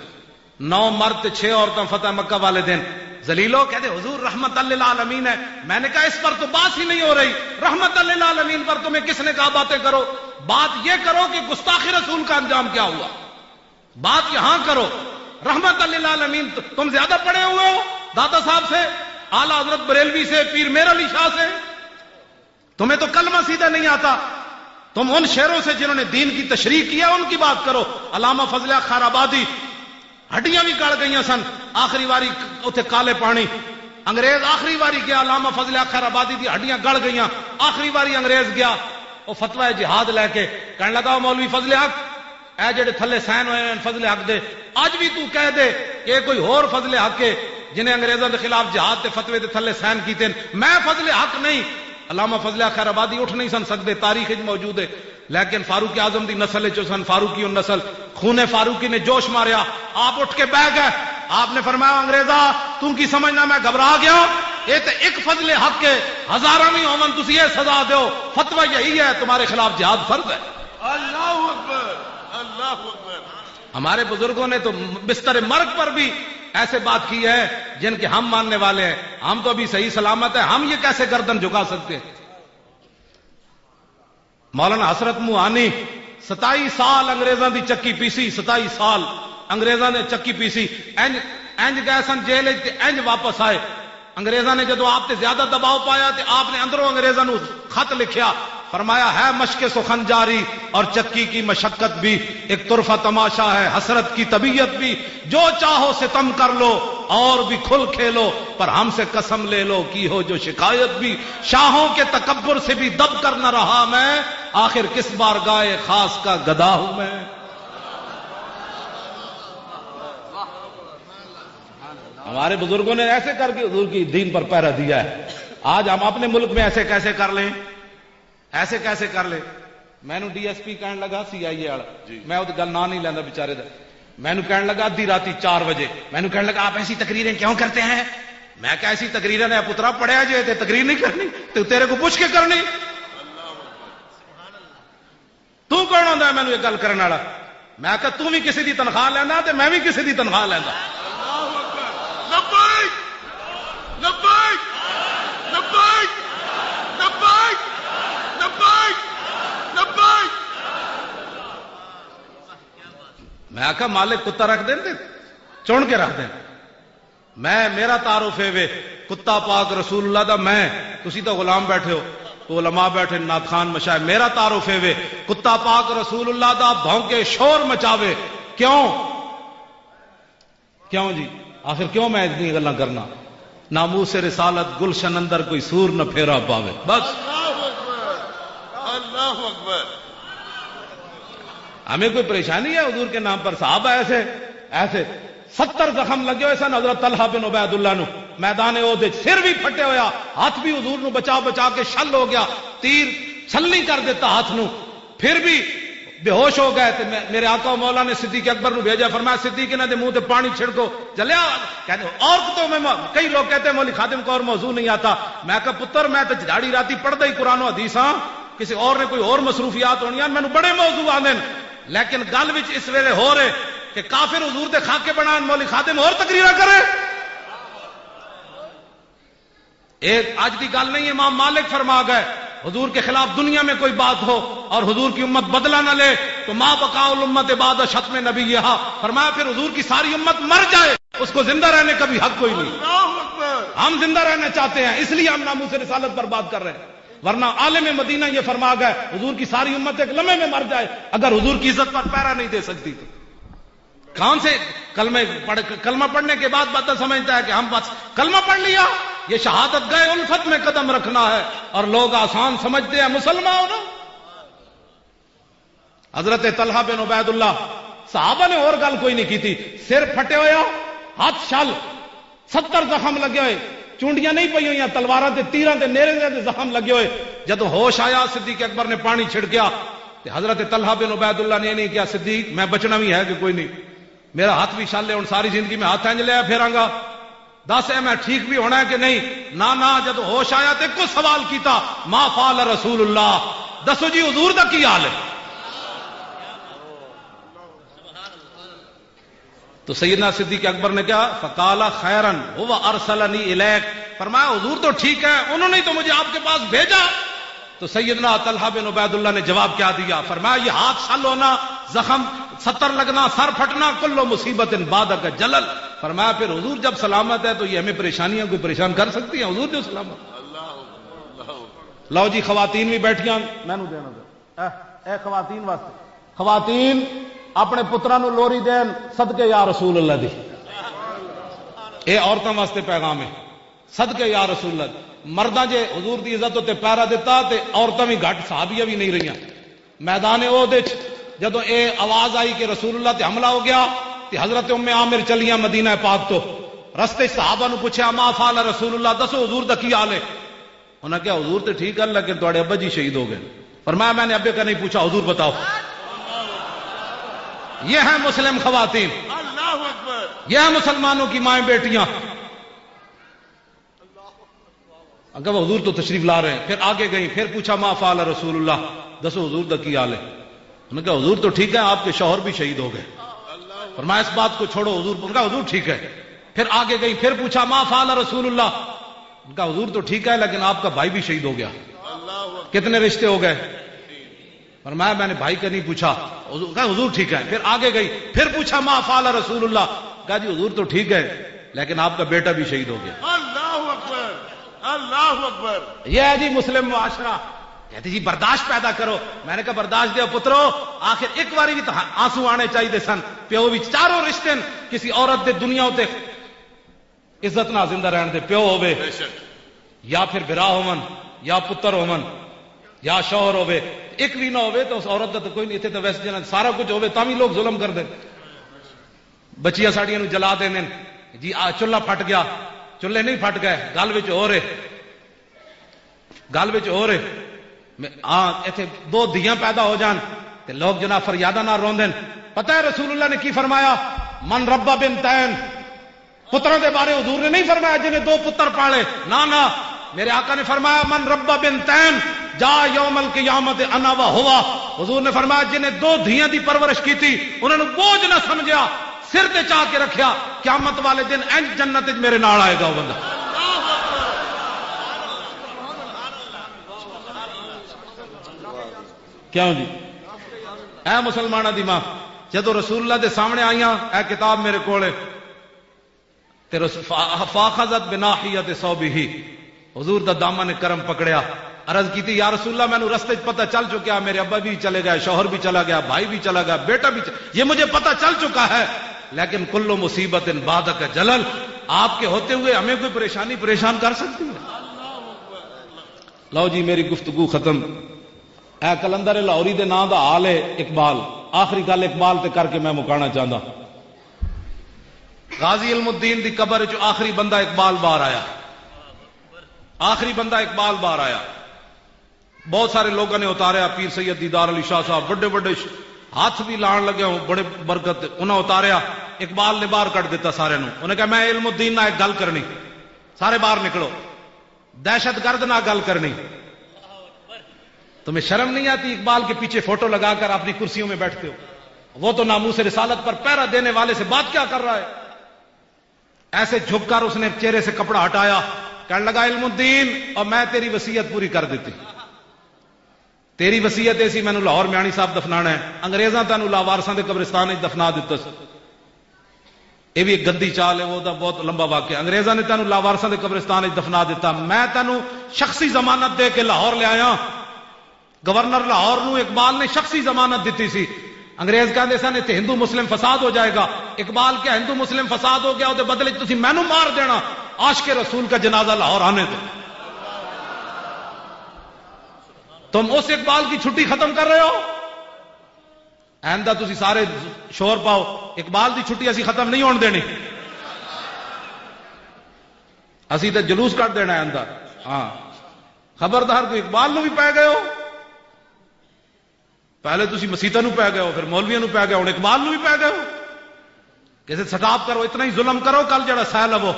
نو مرد تے چھ عورتاں فتح مکہ والے دن۔ ذلیلو کہتے، "حضور رحمت للعالمین ہے۔" میں نے کہا، "اس پر تو بات ہی نہیں ہو رہی، رحمت للعالمین پر تمہیں کس نے کہا باتیں کرو؟ بات یہ کرو کہ گستاخ رسول کا انجام کیا ہوا، بات یہاں کرو۔" رحمت للعالمین، تم زیادہ پڑھے ہوئے ہو داتا صاحب سے، اعلیٰ حضرت بریلوی سے، پیر میر علی شاہ سے، تمہیں تو کلمہ سیدھا نہیں آتا۔ تم ان شعروں سے جنہوں نے دین کی تشریح کی ہے، ان کی بات کرو۔ علامہ فضل حق خیر آبادی، ہڈیاں بھی گل گئیاں سن۔ آخری واری اتھے کالے پانی، انگریز آخری واری گیا، علامہ فضل حق خیر آبادی دی ہڈیاں گل گئیاں۔ آخری واری انگریز گیا، وہ فتوی جہاد لے کے کہن لگا، "او مولوی فضل حق، اے جڑے تھلے سین ہوئے ہیں فضل حق دے، اج بھی تو کہہ دے کہ کوئی ہور فضل حق ہے جنہیں انگریزاں دے خلاف جہاد تے فتوی دے تھلے سین کیتے ہیں، میں فضل حق نہیں۔" علامہ فضل حق خیر آبادی اٹھ نہیں سن سکتے، تاریخ وچ موجود ہے، لیکن فاروق اعظم دی نسل وچ سن، فاروقی النسل، خون فاروقی نے جوش ماریا، آپ اٹھ کے بہ گئے۔ آپ نے فرمایا، "انگریزا، تو کی سمجھنا میں گھبرا گیا؟ یہ تے ایک فضل حق ہے، ہزاراں بھی ہوون، تسی یہ سزا دیو، فتوی یہی ہے، تمہارے خلاف جہاد فرض ہے۔" اللہ اکبر، اللہ اکبر۔ ہمارے بزرگوں نے تو بستر مرگ پر بھی ایسے بات کی ہے جن کے ہم ماننے والے ہیں۔ ہم تو ابھی صحیح سلامت ہیں، ہم یہ کیسے گردن جھکا سکتے ہیں؟ مولانا حسرت موہانی ستائی سال انگریزاں دی چکی پیسی، ستائی سال انگریزاں نے چکی پیسی۔ انج، انج گئے سن جیل وچ تے انج واپس آئے۔ انگریزاں نے جدوں آپ تے زیادہ دباؤ پایا تے آپ نے اندروں انگریزاں نوں خط لکھیا، فرمایا، "ہے مشق سخن جاری اور چکی کی مشقت بھی، ایک طرفہ تماشا ہے حسرت کی طبیعت بھی، جو چاہو ستم کر لو اور بھی کھل کھیلو، پر ہم سے قسم لے لو کی ہو جو شکایت بھی، شاہوں کے تکبر سے بھی دب کر نہ رہا میں، آخر کس بارگاہ خاص کا گدا ہوں میں۔" ہمارے بزرگوں نے ایسے کر کے حضور کی دین پر پہرا دیا ہے۔ آج ہم اپنے ملک میں ایسے کیسے کر لیں، ایسے کیسے کر لیں؟ مینوں ڈی ایس پی کہن لگا، سی آئی اے والا، جی۔ میں وہ گل نہ نہیں لینا بیچارے دا۔ مینوں کہن لگا ادھی راتی چار بجے، مینوں کہن لگا، "آپ ایسی تقریریں کیوں کرتے ہیں؟" میں کہا، "ایسی تقریریں نے پترا پڑھیا جے تے تقریر نہیں کرنی، تے تیرے کو پوچھ کے کرنی۔" تو کون ہوندا ہے مینوں یہ گل کرن والا؟ میں کہا، "تو بھی کسی دی تنخواہ لینا تے میں بھی کسی دی تنخواہ لینا۔" لبیک، لبیک، لبیک، لبیک، لبیک، لبیک۔ میں آکھا، "مالک کتا رکھ دین تے چن کے رکھ دین۔" میں، میرا تعارف ہے وے کتا پاک رسول اللہ دا۔ میں، تسی تو غلام بیٹھے ہو، تو علماء بیٹھے، نعت خوان، مشائخ، میرا تعارف ہے وے کتا پاک رسول اللہ دا بھونکے، شور مچاوے۔ کیوں؟ کیوں جی؟ آخر کیوں میں اتنی گلاں کرنا؟ ناموس رسالت گلشن اندر کوئی سور نہ پھیرا پاوے۔ بس۔ اللہ اکبر، اللہ اکبر۔ ہمیں کوئی پریشانی ہے حضور کے نام پر؟ صحابہ ایسے، ایسے ستر زخم لگے ہوئے سن حضرت طلحہ بن عبید اللہ نو میدان احد وچ، سر بھی پھٹے ہویا، ہاتھ بھی حضور نو بچا بچا کے شل ہو گیا، تیر چھلنی کر دیتا ہاتھ نو، پھر بھی بے ہوش ہو گئے۔ تے میں، میرے آقا و مولا نے صدیق اکبر نو بھیجا، فرمایا، "صدیق، انہاں دے منہ تے پانی چھڑکو۔" چلیا، کہتے، اور تو میں، کئی لوگ کہتے ہیں، "مولوی خادم کو اور موضوع نہیں آتا۔" میں کہا، "پتر، میں تے جھاڑی راتی پڑھدا ہی قرآن و حدیث ہاں، کسی اور نے کوئی اور مصروفیات ہونیاں، مینوں بڑے موضوع آندے نے۔" لیکن گل وچ اس ویلے ہو رہے کہ کافر حضور دے خاکے بنان، مولوی خادم اور تقریرا کرے۔ ایک اج دی گل نہیں، امام مالک فرما گئے، حضور کے خلاف دنیا میں کوئی بات ہو اور حضور کی امت بدلہ نہ لے تو ما بقاء الامت بعد شتم نبیہا۔ فرمایا، پھر حضور کی ساری امت مر جائے، اس کو زندہ رہنے کا بھی حق کوئی نہیں۔ اللہ اکبر۔ ہم زندہ رہنا چاہتے ہیں، اس لیے ہم ناموس رسالت پر بات کر رہے ہیں، ورنہ عالم مدینہ یہ فرما گئے، حضور کی ساری امت ایک لمحے میں مر جائے اگر حضور کی عزت پر پہرا نہیں دے سکتی تو۔ کون سے کلمے پڑھ، کلمہ پڑھنے کے بعد بندہ سمجھتا ہے کہ ہم بس کلمہ پڑھ لیا، یہ شہادت گئے الفت میں قدم رکھنا ہے، اور لوگ آسان سمجھتے ہیں، مسلمان ہو نا۔ حضرت طلحہ بن عبید اللہ، صحابہ نے اور گل کوئی نہیں کی تھی، سر پھٹے ہویا، ہاتھ شل، ستر زخم لگے ہوئے، چونڈیاں نہیں پئی ہوئیاں، تلواراں تے تیراں تے نیرے دے زخم لگے ہوئے۔ جدوں ہوش آیا، صدیق اکبر نے پانی چھڑکیا تے حضرت طلحہ بن عبید اللہ نے یہ نہیں کہا، "صدیق، میں بچنا بھی ہے کہ کوئی نہیں؟ میرا ہاتھ بھی شل ہے، ہن ساری زندگی میں ہاتھ انج لیا پھراں گا۔ دس، اے میں ٹھیک بھی ہونا ہے کہ نہیں؟" نہ، نہ، جدوں ہوش آیا تے کچھ سوال کیتا، "ما فعل رسول اللہ، دسو جی حضور دا کی حال ہے؟" تو سیدنا صدیق اکبر نے کہا، "فقال خیرا، هو ارسلنی الیک"، فرمایا، "حضور تو ٹھیک ہے، انہوں نے تو مجھے آپ کے پاس بھیجا۔" تو سیدنا طلحہ بن عبید اللہ نے جواب کیا دیا؟ فرمایا، "یہ ہاتھ شل ہونا، زخم ستر لگنا، سر پھٹنا، کل مصیبت بعدک جلل۔" فرمایا، "پھر حضور جب سلامت ہے تو یہ ہمیں پریشانیاں کوئی پریشان کر سکتی ہیں؟ حضور جو سلامت۔" لو جی، خواتین بھی بیٹھیاں، مینوں دینا ذرا۔ اے، اے خواتین واسطے، خواتین اپنے پتراں نوں لوری دین، "صدقے یا رسول اللہ" دی۔ اے عورتاں واسطے پیغام ہے، "صدقے یا رسول اللہ"۔ مرداں جے حضور دی عزت اُتے پیرا دتا تے عورتاں بھی گھٹ صحابیہ بھی نہیں رہیاں۔ میدان احد وچ جدوں اے آواز آئی کہ رسول اللہ تے حملہ ہو گیا، تے حضرت ام عامر چلیاں مدینہ پاک تو۔ رستے وچ صحابہ نوں پوچھیا، "ما فعل رسول اللہ، دسو حضور دا کی حال ہے؟" انہاں کہا، "حضور تے ٹھیک ہے، لیکن تہاڈے ابا جی شہید ہو گئے۔" فرمایا، "میں نے ابے کا نہیں پوچھا، حضور بتاؤ۔" یہ ہیں مسلم خواتین، اللہ اکبر۔ یہ ہیں مسلمانوں کی مائیں بیٹیاں۔ اگر وہ حضور تو تشریف لا رہے ہیں، پھر آگے گئیں، پھر پوچھا، "ما فعل رسول اللہ، دسو حضور دا کی حال ہے؟" انہوں نے کہا، "حضور تو ٹھیک ہے، آپ کے شوہر بھی شہید ہو گئے۔" فرمایا، "اس بات کو چھوڑو حضور۔" ان کا حضور ٹھیک ہے۔ پھر آگے گئی، پھر پوچھا، "ما فعل رسول اللہ؟" ان کا حضور تو ٹھیک ہے، لیکن آپ کا بھائی بھی شہید ہو گیا۔ کتنے رشتے ہو گئے؟ فرمایا، "میں نے بھائی کا نہیں پوچھا۔" حضور کہا، "حضور ٹھیک ہے۔" پھر آگے گئی، پھر پوچھا، "ما فعل رسول اللہ؟" کہا، "جی حضور تو ٹھیک ہے، لیکن آپ کا بیٹا بھی شہید ہو گیا۔" اللہ اکبر، اللہ اکبر۔ یہ ہے جی مسلم معاشرہ۔ کہتے، "جی برداشت پیدا کرو۔" میں نے کہا، "برداشت دے پترو، آخر ایک باری بھی تو آنسو آنے چاہیے سن۔" پیو بھی چاروں رشتے ہیں، کسی عورت دے دنیا اُتے عزت نہ زندہ رہن دے، پیو ہووے، بے شک۔ یا پھر بھرا ہوون، یا پتر ہوون، یا شوہر ہووے، ایک بھی نہ ہووے تو اس عورت دا تو کوئی نہیں۔ اتھے تو ویسے جنہاں سارا کچھ ہووے تاں بھی لوگ ظلم کر دے۔ بچیاں ساڈیاں نوں جلا دیندے نے، جی آ چولہا پھٹ گیا، چولہے نہیں پھٹ گئے، گل وچ ہو رہے، گل وچ ہو رہے۔ میں، آ، ایتھے دو دھیاں پیدا ہو جان تے لوگ جناب فریاداں نال روندے نے۔ پتہ ہے رسول اللہ نے کی فرمایا؟ "من ربا بنتین۔" پتراں دے بارے حضور نے نہیں فرمایا جنہیں دو پتر پالے، نہ، نہ۔ میرے آقا نے فرمایا، "من ربا بنتین جا یوم القیامت انا و ہوا۔" حضور نے فرمایا، "جنہیں دو دھیاں دی پرورش کیتی، انہاں نوں بوجھ نہ سمجھیا، سر تے چا کے رکھیا، قیامت والے دن انج جنت وچ میرے نال آئے گا وہ بندہ۔" کیوں جی؟ اے مسلماناں دی ماں، جدوں رسول اللہ دے سامنے آئیاں، اے کتاب میرے کول ہے، تے رس-، فا-، فاخذت بناحیت ثوبہ، حضور دا دامن کرم پکڑیا، عرض کیتی، "یا رسول اللہ، مینوں رستے 'چ پتہ چل چکیا، میرے ابا بھی چلے گئے، شوہر بھی چلا گیا، بھائی بھی چلا گیا، بیٹا بھی چ-، یہ مجھے پتہ چل چکا ہے، لیکن کل مصیبت بعدک جلل، آپ کے ہوتے ہوئے ہمیں کوئی پریشانی پریشان کر سکتی ہے؟" لو جی، میری گفتگو ختم۔ اے قلندر لاہوری دے نام دا حال ہے اقبال۔ آخری گل اقبال تے کر کے میں مکانا چاہندا۔ غازی علم الدین دی قبر چ آخری بندہ اقبال باہر آیا۔ آخری بندہ اقبال باہر آیا۔ بہت سارے لوگوں نے اتاریا، پیر سید دیدار علی شاہ صاحب، بڑے بڑے ش-، ہاتھ بھی لان لگے ہوں، بڑے برکت، انہاں اتاریا۔ اقبال نے باہر کٹ دیتا سارے نوں۔ انہاں کہا، "میں علم الدین نال ایک گل کرنی۔" سارے باہر نکلو۔ دہشت گرد نہ گل کرنی۔ تمہیں شرم نہیں آتی؟ اقبال کے پیچھے فوٹو لگا کر اپنی کرسیوں میں بیٹھتے ہو۔ وہ تو ناموس رسالت پر پہرا دینے والے سے بات کیا کر رہا ہے؟ ایسے جھک کر اس نے چہرے سے کپڑا ہٹایا، کہنے لگا، "علم الدین، اور میں تیری وصیت پوری کر دیتی۔" تیری وصیت اے سی، مینوں لاہور میانی صاحب دفنانا ہے۔ انگریزاں تینوں لاوارساں دے قبرستان وچ دفنا دتا سی۔ اے بھی ایک گندی چال ہے، وہ دا بہت لمبا واقعہ۔ انگریزاں نے تینوں لاوارساں دے قبرستان وچ دفنا دتا۔ میں تینوں شخصی ضمانت دے کے لاہور لے آیا۔ گورنر لاہور نو اقبال نے شخصی ضمانت دتی سی۔ انگریز کہندے سن، "اتھے ہندو مسلم فساد ہو جائے گا۔" اقبال کہا، "ہندو مسلم فساد ہو گیا، وہ دے بدلے وچ تسی مینوں مار دینا، عاشق رسول کا جنازہ لاہور آنے دو۔" تم اس اقبال کی چھٹی ختم کر رہے ہو؟ آئندہ تسی سارے شور پاؤ، اقبال دی چھٹی اسی ختم نہیں ہون دینی۔ اسی تے جلوس کر دینا ہے اندر۔ ہاں، خبردار، کوئی اقبال نو بھی پی گئے ہو۔ پہلے تسی مسیتاں نو پی گئے ہو، پھر مولویاں نو پی گئے، ہن اقبال نو بھی پی گئے ہو۔ کسے سٹاپ کرو، اتنا ہی ظلم کرو، کل جڑا سیل وہ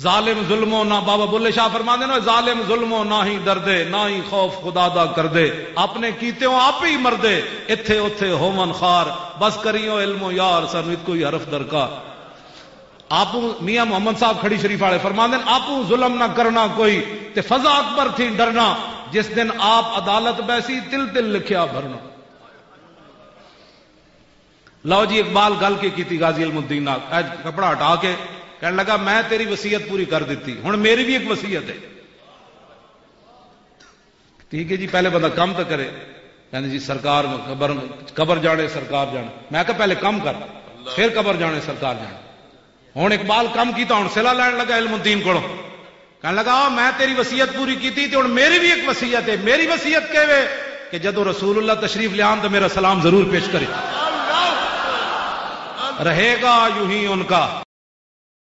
ظالم ظلمو نہ، بابا بلے شاہ فرماندے نے، ظالم ظلمو نہ ہی ڈردے، نہ ہی خوف خدا دا کردے، اپنے کیتےوں آپ ہی مردے، اتھے اتھے ہوون خار، بس کریو علم و یار، سانو اتکو ہی حرف درکار۔ آپ میاں محمد صاحب کھڑی شریف والے فرماندے نے، آپ ظلم نہ کرنا کوئی، تے فضا اکبر تھی ڈرنا، جس دن آپ عدالت بیسی، تل تل لکھیا بھرنا۔ لو جی، اقبال گل کے کیتی غازی علم الدین نال، اج کپڑا ہٹا کے کہنے لگا، میں تیری وصیت پوری کر دیتی، ہن میری بھی ایک وصیت ہے۔ ٹھیک ہے جی، پہلے بندہ کم تو کرے۔ کہنے جی، سرکار قبر، قبر جانے، سرکار جانے۔ میں کہا، پہلے کم کر، پھر قبر جانے، سرکار جانے۔ ہن اقبال کم کیتا، ہن صلہ لین لگا علم الدین کولوں۔ کہنے لگا، میں تیری وصیت پوری کیتی، تے ہن میری بھی ایک وصیت ہے۔ میری وصیت کہہ وے کہ جدوں رسول اللہ تشریف لیان تو میرا سلام ضرور پیش کرے۔ رہے گا یوں ہی ان کا